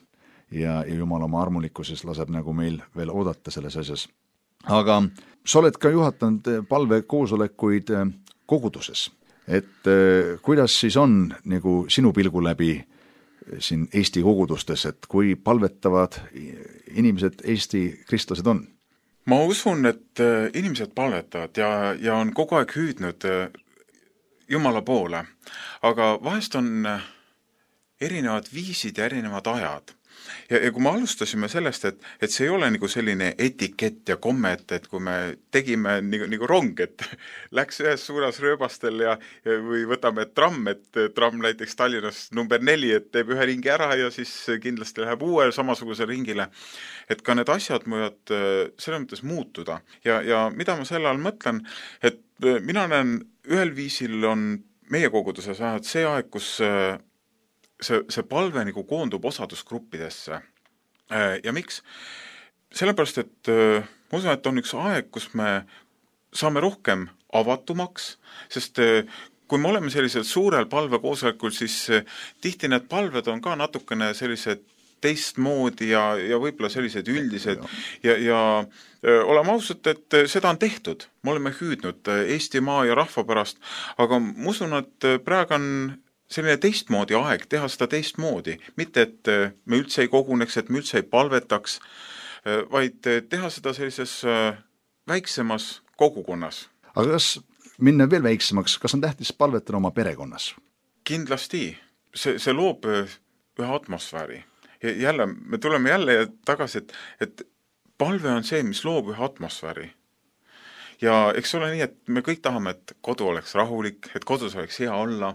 Ja, ja Jumal oma armulikkuses laseb nagu meil veel oodata selles asjas. Aga sa oled ka juhatanud palve koosolekuid koguduses, et kuidas siis on nagu sinu pilgu läbi siin Eesti kogudustes, et kui palvetavad inimesed, Eesti kristlased on? Ma usun, et inimesed palvetavad ja, ja on kogu aeg hüüdnud Jumala poole, aga vahest on erinevad viisid ja erinevad ajad. Ja, ja kui me alustasime sellest, et, et see ei ole nagu selline etikett ja kommet, et kui me tegime nagu, nagu rong, et läks ühes suunas rööbastel ja, ja või võtame tramm, et tramm näiteks Tallinnas number neli, et teeb ühe ringi ära ja siis kindlasti läheb uue samasuguse ringile. Et ka need asjad võivad selles mõttes muutuda. Ja, ja mida ma selle all mõtlen, et mina näen ühel viisil on meie koguduses vähemalt see aeg, kus see, see palve nagu koondub osadusgruppidesse. Ja miks? Sellepärast, et ma usun, et on üks aeg, kus me saame rohkem avatumaks, sest kui me oleme sellisel suurel palvekoosolekul, siis tihti need palved on ka natukene sellised teistmoodi ja, ja võib-olla sellised üldised ja, ja oleme ausad, et seda on tehtud. Me oleme hüüdnud Eesti maa ja rahva pärast, aga ma usun, et praegu on selline teistmoodi aeg teha seda teistmoodi. Mitte, et me üldse ei koguneks, et me üldse ei palvetaks, vaid teha seda sellises väiksemas kogukonnas. Aga kas minna veel väiksemaks, kas on tähtis palvetada oma perekonnas? Kindlasti. See, see loob ühe atmosfääri. Ja jälle, me tuleme jälle tagasi, et, et palve on see, mis loob ühe atmosfääri. Ja eks ole nii, et me kõik tahame, et kodu oleks rahulik, et kodus oleks hea olla,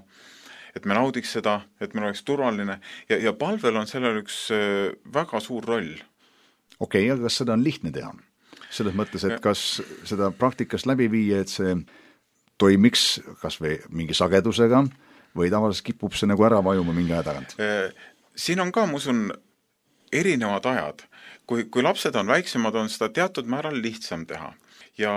et me naudiks seda, et meil oleks turvaline ja, ja palvel on sellel üks väga suur roll. Okei, okay, aga kas seda on lihtne teha? Selles mõttes, et kas seda praktikas läbi viia, et see toimiks kas või mingi sagedusega või tavaliselt kipub see nagu ära vajuma mingi aja tagant? Siin on ka, ma usun, erinevad ajad. Kui, kui lapsed on väiksemad, on seda teatud määral lihtsam teha. Ja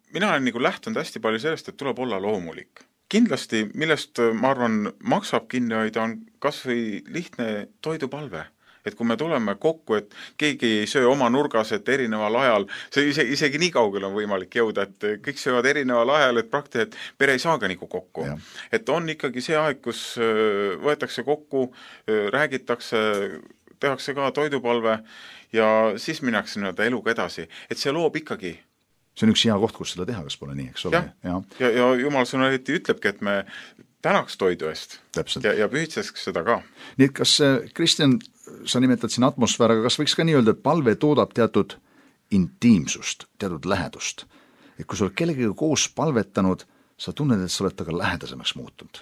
mina olen nagu lähtunud hästi palju sellest, et tuleb olla loomulik. Kindlasti, millest ma arvan maksab kinni hoida, on kas või lihtne toidupalve. Et kui me tuleme kokku, et keegi ei söö oma nurgas, et erineval ajal, see ise, isegi nii kaugel on võimalik jõuda, et kõik söövad erineval ajal, et praktiliselt pere ei saaga nagu kokku. Ja. Et on ikkagi see aeg, kus võetakse kokku, räägitakse, tehakse ka toidupalve ja siis minnakse nii-öelda eluga edasi, et see loob ikkagi. See on üks hea koht, kus seda teha, kas pole nii, eks ole? Ja, ja, ja Jumal sõna eriti ütlebki, et me tänaks toidu eest Täpselt. ja, ja pühitseks seda ka. Nii et kas, Kristjan, sa nimetad siin atmosfääraga, kas võiks ka nii öelda, et palve toodab teatud intiimsust, teatud lähedust? Et kui sa oled kellegagi koos palvetanud, sa tunned, et sa oled taga lähedasemaks muutunud.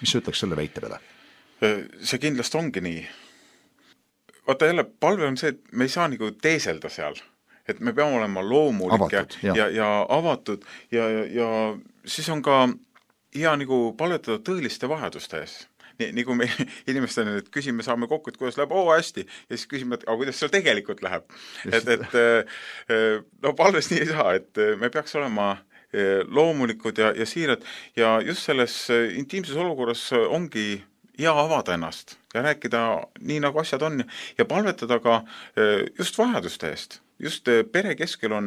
Mis sa ütleks selle väite peale? See kindlasti ongi nii. Vaata jälle, palve on see, et me ei saa nagu teeselda seal. Et me peame olema loomulik avatud, ja, ja, ja avatud ja, ja, ja siis on ka hea nagu palvetada tõeliste vajaduste ees. Nii, nagu me inimestele nüüd küsime, saame kokku, et kuidas läheb, oo hästi, ja siis küsime, et aga kuidas seal tegelikult läheb. Et, et no palves nii ei saa, et me peaks olema loomulikud ja, ja siirad ja just selles intiimses olukorras ongi hea avada ennast ja rääkida nii, nagu asjad on ja palvetada ka just vajaduste eest. Just pere keskel on,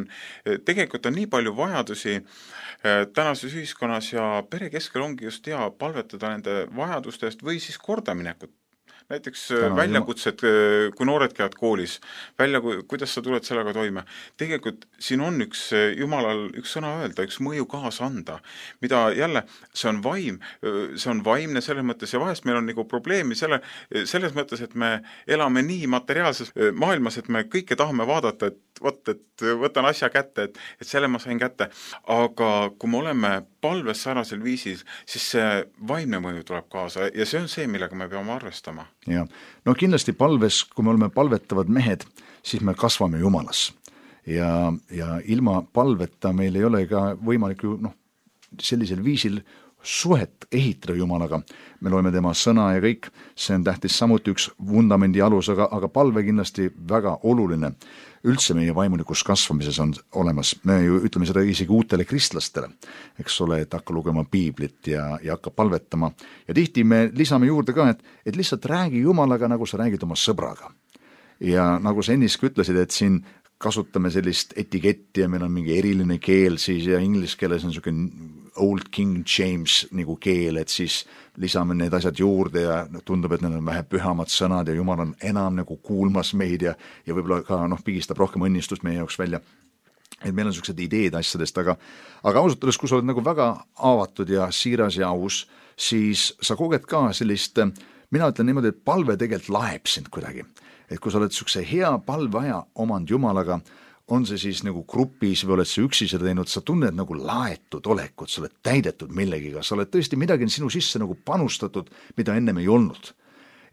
tegelikult on nii palju vajadusi tänases ühiskonnas ja pere keskel ongi just hea palvetada nende vajaduste eest või siis kordaminekut. Näiteks Täna, väljakutsed, kui noored käivad koolis, välja, kuidas sa tuled sellega toime. Tegelikult siin on üks Jumalal üks sõna öelda, üks mõju kaasa anda, mida jälle, see on vaim, see on vaimne selles mõttes ja vahest meil on nagu probleemi selle, selles mõttes, et me elame nii materiaalses maailmas, et me kõike tahame vaadata, et võt, et võtan asja kätte, et, et selle ma sain kätte. Aga kui me oleme palves sarnasel viisil, siis see vaimne mõju tuleb kaasa ja see on see, millega me peame arvestama. Ja. No kindlasti palves, kui me oleme palvetavad mehed, siis me kasvame Jumalas. Ja, ja ilma palveta meil ei ole ka võimalik ju, noh, sellisel viisil suhet ehitada Jumalaga. Me loeme tema sõna ja kõik, see on tähtis samuti üks vundamendi alus, aga, aga palve kindlasti väga oluline. Üldse meie vaimulikus kasvamises on olemas, me ju ütleme seda isegi uutele kristlastele, eks ole, et hakka lugema piiblit ja, ja hakka palvetama. Ja tihti me lisame juurde ka, et, et lihtsalt räägi Jumalaga, nagu sa räägid oma sõbraga. Ja nagu sa enniski ütlesid, et siin kasutame sellist etiketti ja meil on mingi eriline keel siis ja inglise keeles on niisugune Old King James nagu keel, et siis lisame need asjad juurde ja tundub, et need on vähe pühamad sõnad ja Jumal on enam nagu kuulmas meid ja, ja võib-olla ka noh, pigistab rohkem õnnistust meie jaoks välja. Et meil on niisugused ideed asjadest, aga, aga ausalt öeldes, kui sa oled nagu väga avatud ja siiras ja aus, siis sa koged ka sellist, mina ütlen niimoodi, et palve tegelikult laeb sind kuidagi. Et kui sa oled niisuguse hea palveaja omand Jumalaga, on see siis nagu grupis või oled sa üksi seda teinud, sa tunned nagu laetud olekut, sa oled täidetud millegiga, sa oled tõesti midagi sinu sisse nagu panustatud, mida ennem ei olnud.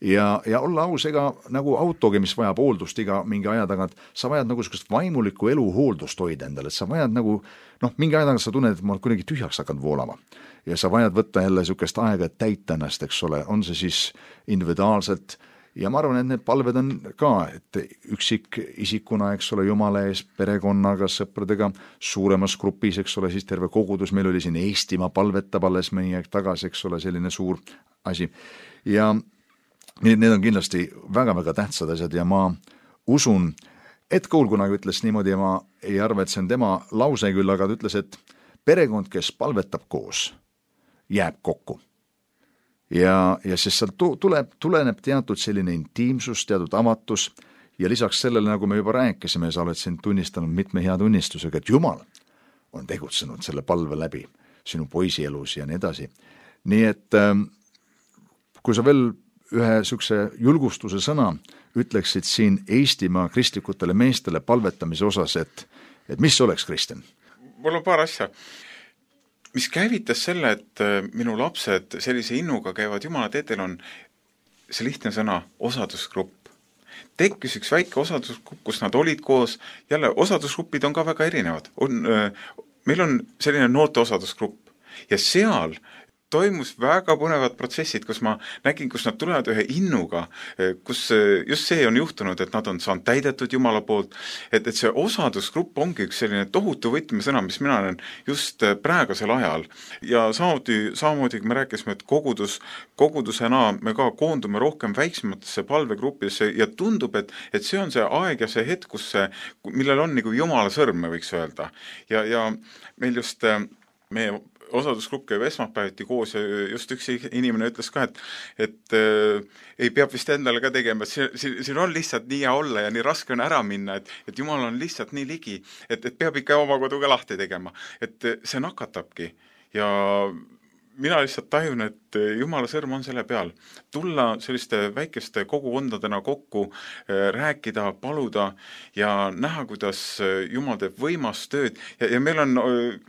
Ja, ja olla aus, ega nagu autogi, mis vajab hooldust iga mingi aja tagant, sa vajad nagu sellist vaimulikku elu hooldust hoida endale, et sa vajad nagu, noh, mingi aja tagant sa tunned, et ma olen kuidagi tühjaks hakanud voolama. Ja sa vajad võtta jälle niisugust aega, et täita ennast, eks ole, on see siis individuaalselt. Ja ma arvan, et need palved on ka, et üksik isikuna, eks ole, Jumala ees, perekonnaga, sõpradega, suuremas grupis, eks ole, siis terve kogudus, meil oli siin Eestimaa palvetab alles mõni aeg tagasi, eks ole, selline suur asi. Ja need on kindlasti väga-väga tähtsad asjad ja ma usun, et Koul kunagi ütles niimoodi ja ma ei arva, et see on tema lause küll, aga ta ütles, et perekond, kes palvetab koos, jääb kokku. Ja, ja siis seal tuleb, tuleneb teatud selline intiimsus, teatud avatus ja lisaks sellele, nagu me juba rääkisime, sa oled siin tunnistanud mitme hea tunnistusega, et Jumal on tegutsenud selle palve läbi sinu poisi elus ja nii edasi. Nii et kui sa veel ühe niisuguse julgustuse sõna ütleksid siin Eestimaa kristlikutele meestele palvetamise osas, et, et mis oleks, Kristjan? Mul on paar asja. Mis käivitas selle, et minu lapsed sellise innuga käivad Jumala teetel, on see lihtne sõna osadusgrupp. Tekkis üks väike osadusgrupp, kus nad olid koos, jälle osadusgrupid on ka väga erinevad. On, meil on selline noorte osadusgrupp ja seal toimus väga põnevad protsessid, kus ma nägin, kus nad tulevad ühe innuga, kus just see on juhtunud, et nad on saanud täidetud Jumala poolt, et, et see osadusgrupp ongi üks selline tohutu võtmesõna, mis mina olen just praegusel ajal. Ja samamoodi, samamoodi kui me rääkisime, et kogudus, kogudusena me ka koondume rohkem väiksematesse palvegruppidesse ja tundub, et, et see on see aeg ja see hetk, kus see, millel on nagu Jumala sõrm, me võiks öelda. Ja, ja meil just meie osadusgrupp käib esmaspäeviti koos ja just üks inimene ütles ka, et, et äh, ei peab vist endale ka tegema, et siin, siin on lihtsalt nii hea olla ja nii raske on ära minna, et, et Jumal on lihtsalt nii ligi, et, et peab ikka oma koduga lahti tegema. Et see nakatabki ja mina lihtsalt tajun, et Jumala sõrm on selle peal. Tulla selliste väikeste kogukondadena kokku, rääkida, paluda ja näha, kuidas Jumal teeb võimast tööd. Ja, ja meil on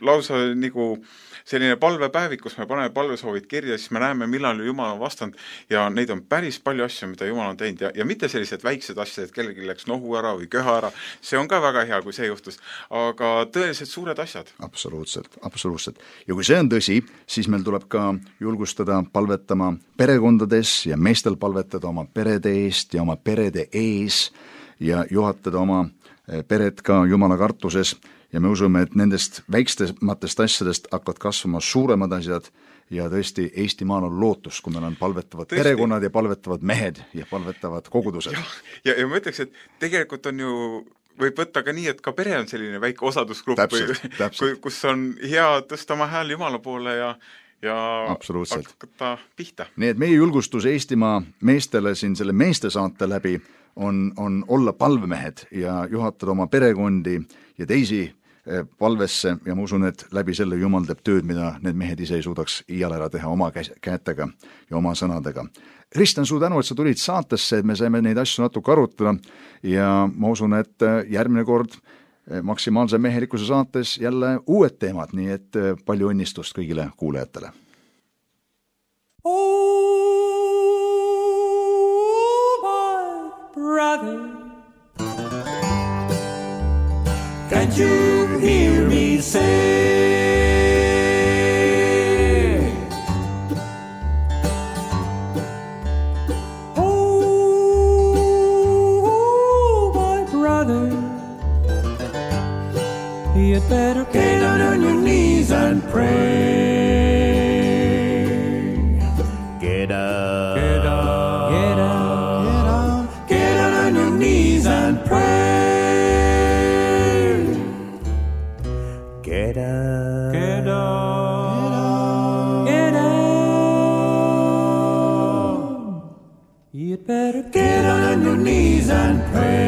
lausa nagu selline palvepäevik, kus me paneme palvesoovid kirja, siis me näeme, millal Jumal on vastanud ja neid on päris palju asju, mida Jumal on teinud ja, ja mitte sellised väiksed asjad, et kellelgi läks nohu ära või köha ära. See on ka väga hea, kui see juhtus, aga tõeliselt suured asjad. Absoluutselt, absoluutselt. Ja kui see on tõsi, siis meil tuleb ka julgustada palvetama perekondades ja meestel palvetada oma perede eest ja oma perede ees ja juhatada oma pered ka Jumala kartuses ja me usume, et nendest väiksematest asjadest hakkavad kasvama suuremad asjad ja tõesti Eestimaal on lootus, kui meil on palvetavad tõesti. Perekonnad ja palvetavad mehed ja palvetavad kogudused. Ja, ja, ja ma ütleks, et tegelikult on ju võib võtta ka nii, et ka pere on selline väike osadusgrupp, täpselt, täpselt. kus on hea tõsta oma hääl Jumala poole ja ja hakata pihta. Nii et meie julgustus Eestimaa meestele siin selle meeste saate läbi on, on olla palvemehed ja juhatada oma perekondi ja teisi palvesse ja ma usun, et läbi selle Jumal teeb tööd, mida need mehed ise ei suudaks iial ära teha oma kätega ja oma sõnadega. Kristjan, suu tänu, et sa tulid saatesse, et me saime neid asju natuke arutada ja ma usun, et järgmine kord maksimaalse mehelikkuse saates jälle uued teemad, nii et palju õnnistust kõigile kuulajatele. Oh, my brother, can't you hear me say, oh, my brother, you'd better get down on your knees and pray. Get up, get up, get up, get up, get down on your knees and pray. Get up, get up, get up. You'd better get down on your knees and pray.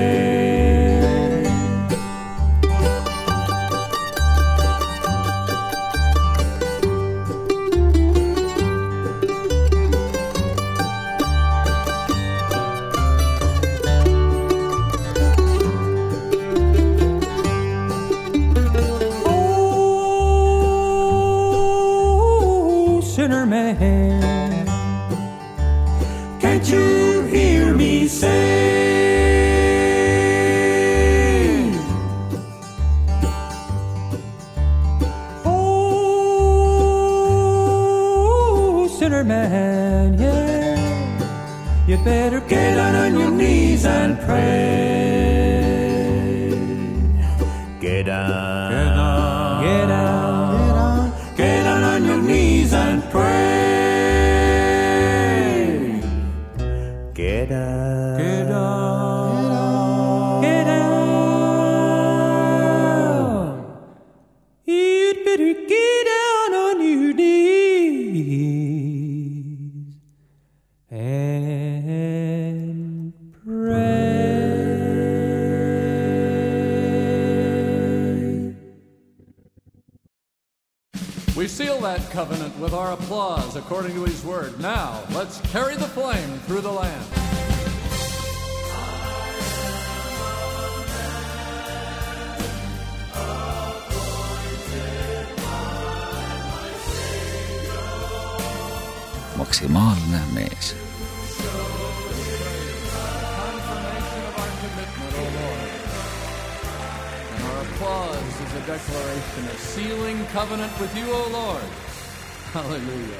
Can't you hear me say, oh, sinner man, yeah, you better get down on your knees and pray. Get down, get down, get down, get down on your knees and pray. Get up, get up, get up. You'd better get down on your knees and pray. We seal that covenant with our applause according to his word. Now, let's carry the flame through the land. Maksimaalne mees. Applause is a declaration of sealing covenant with you, O Lord. Hallelujah.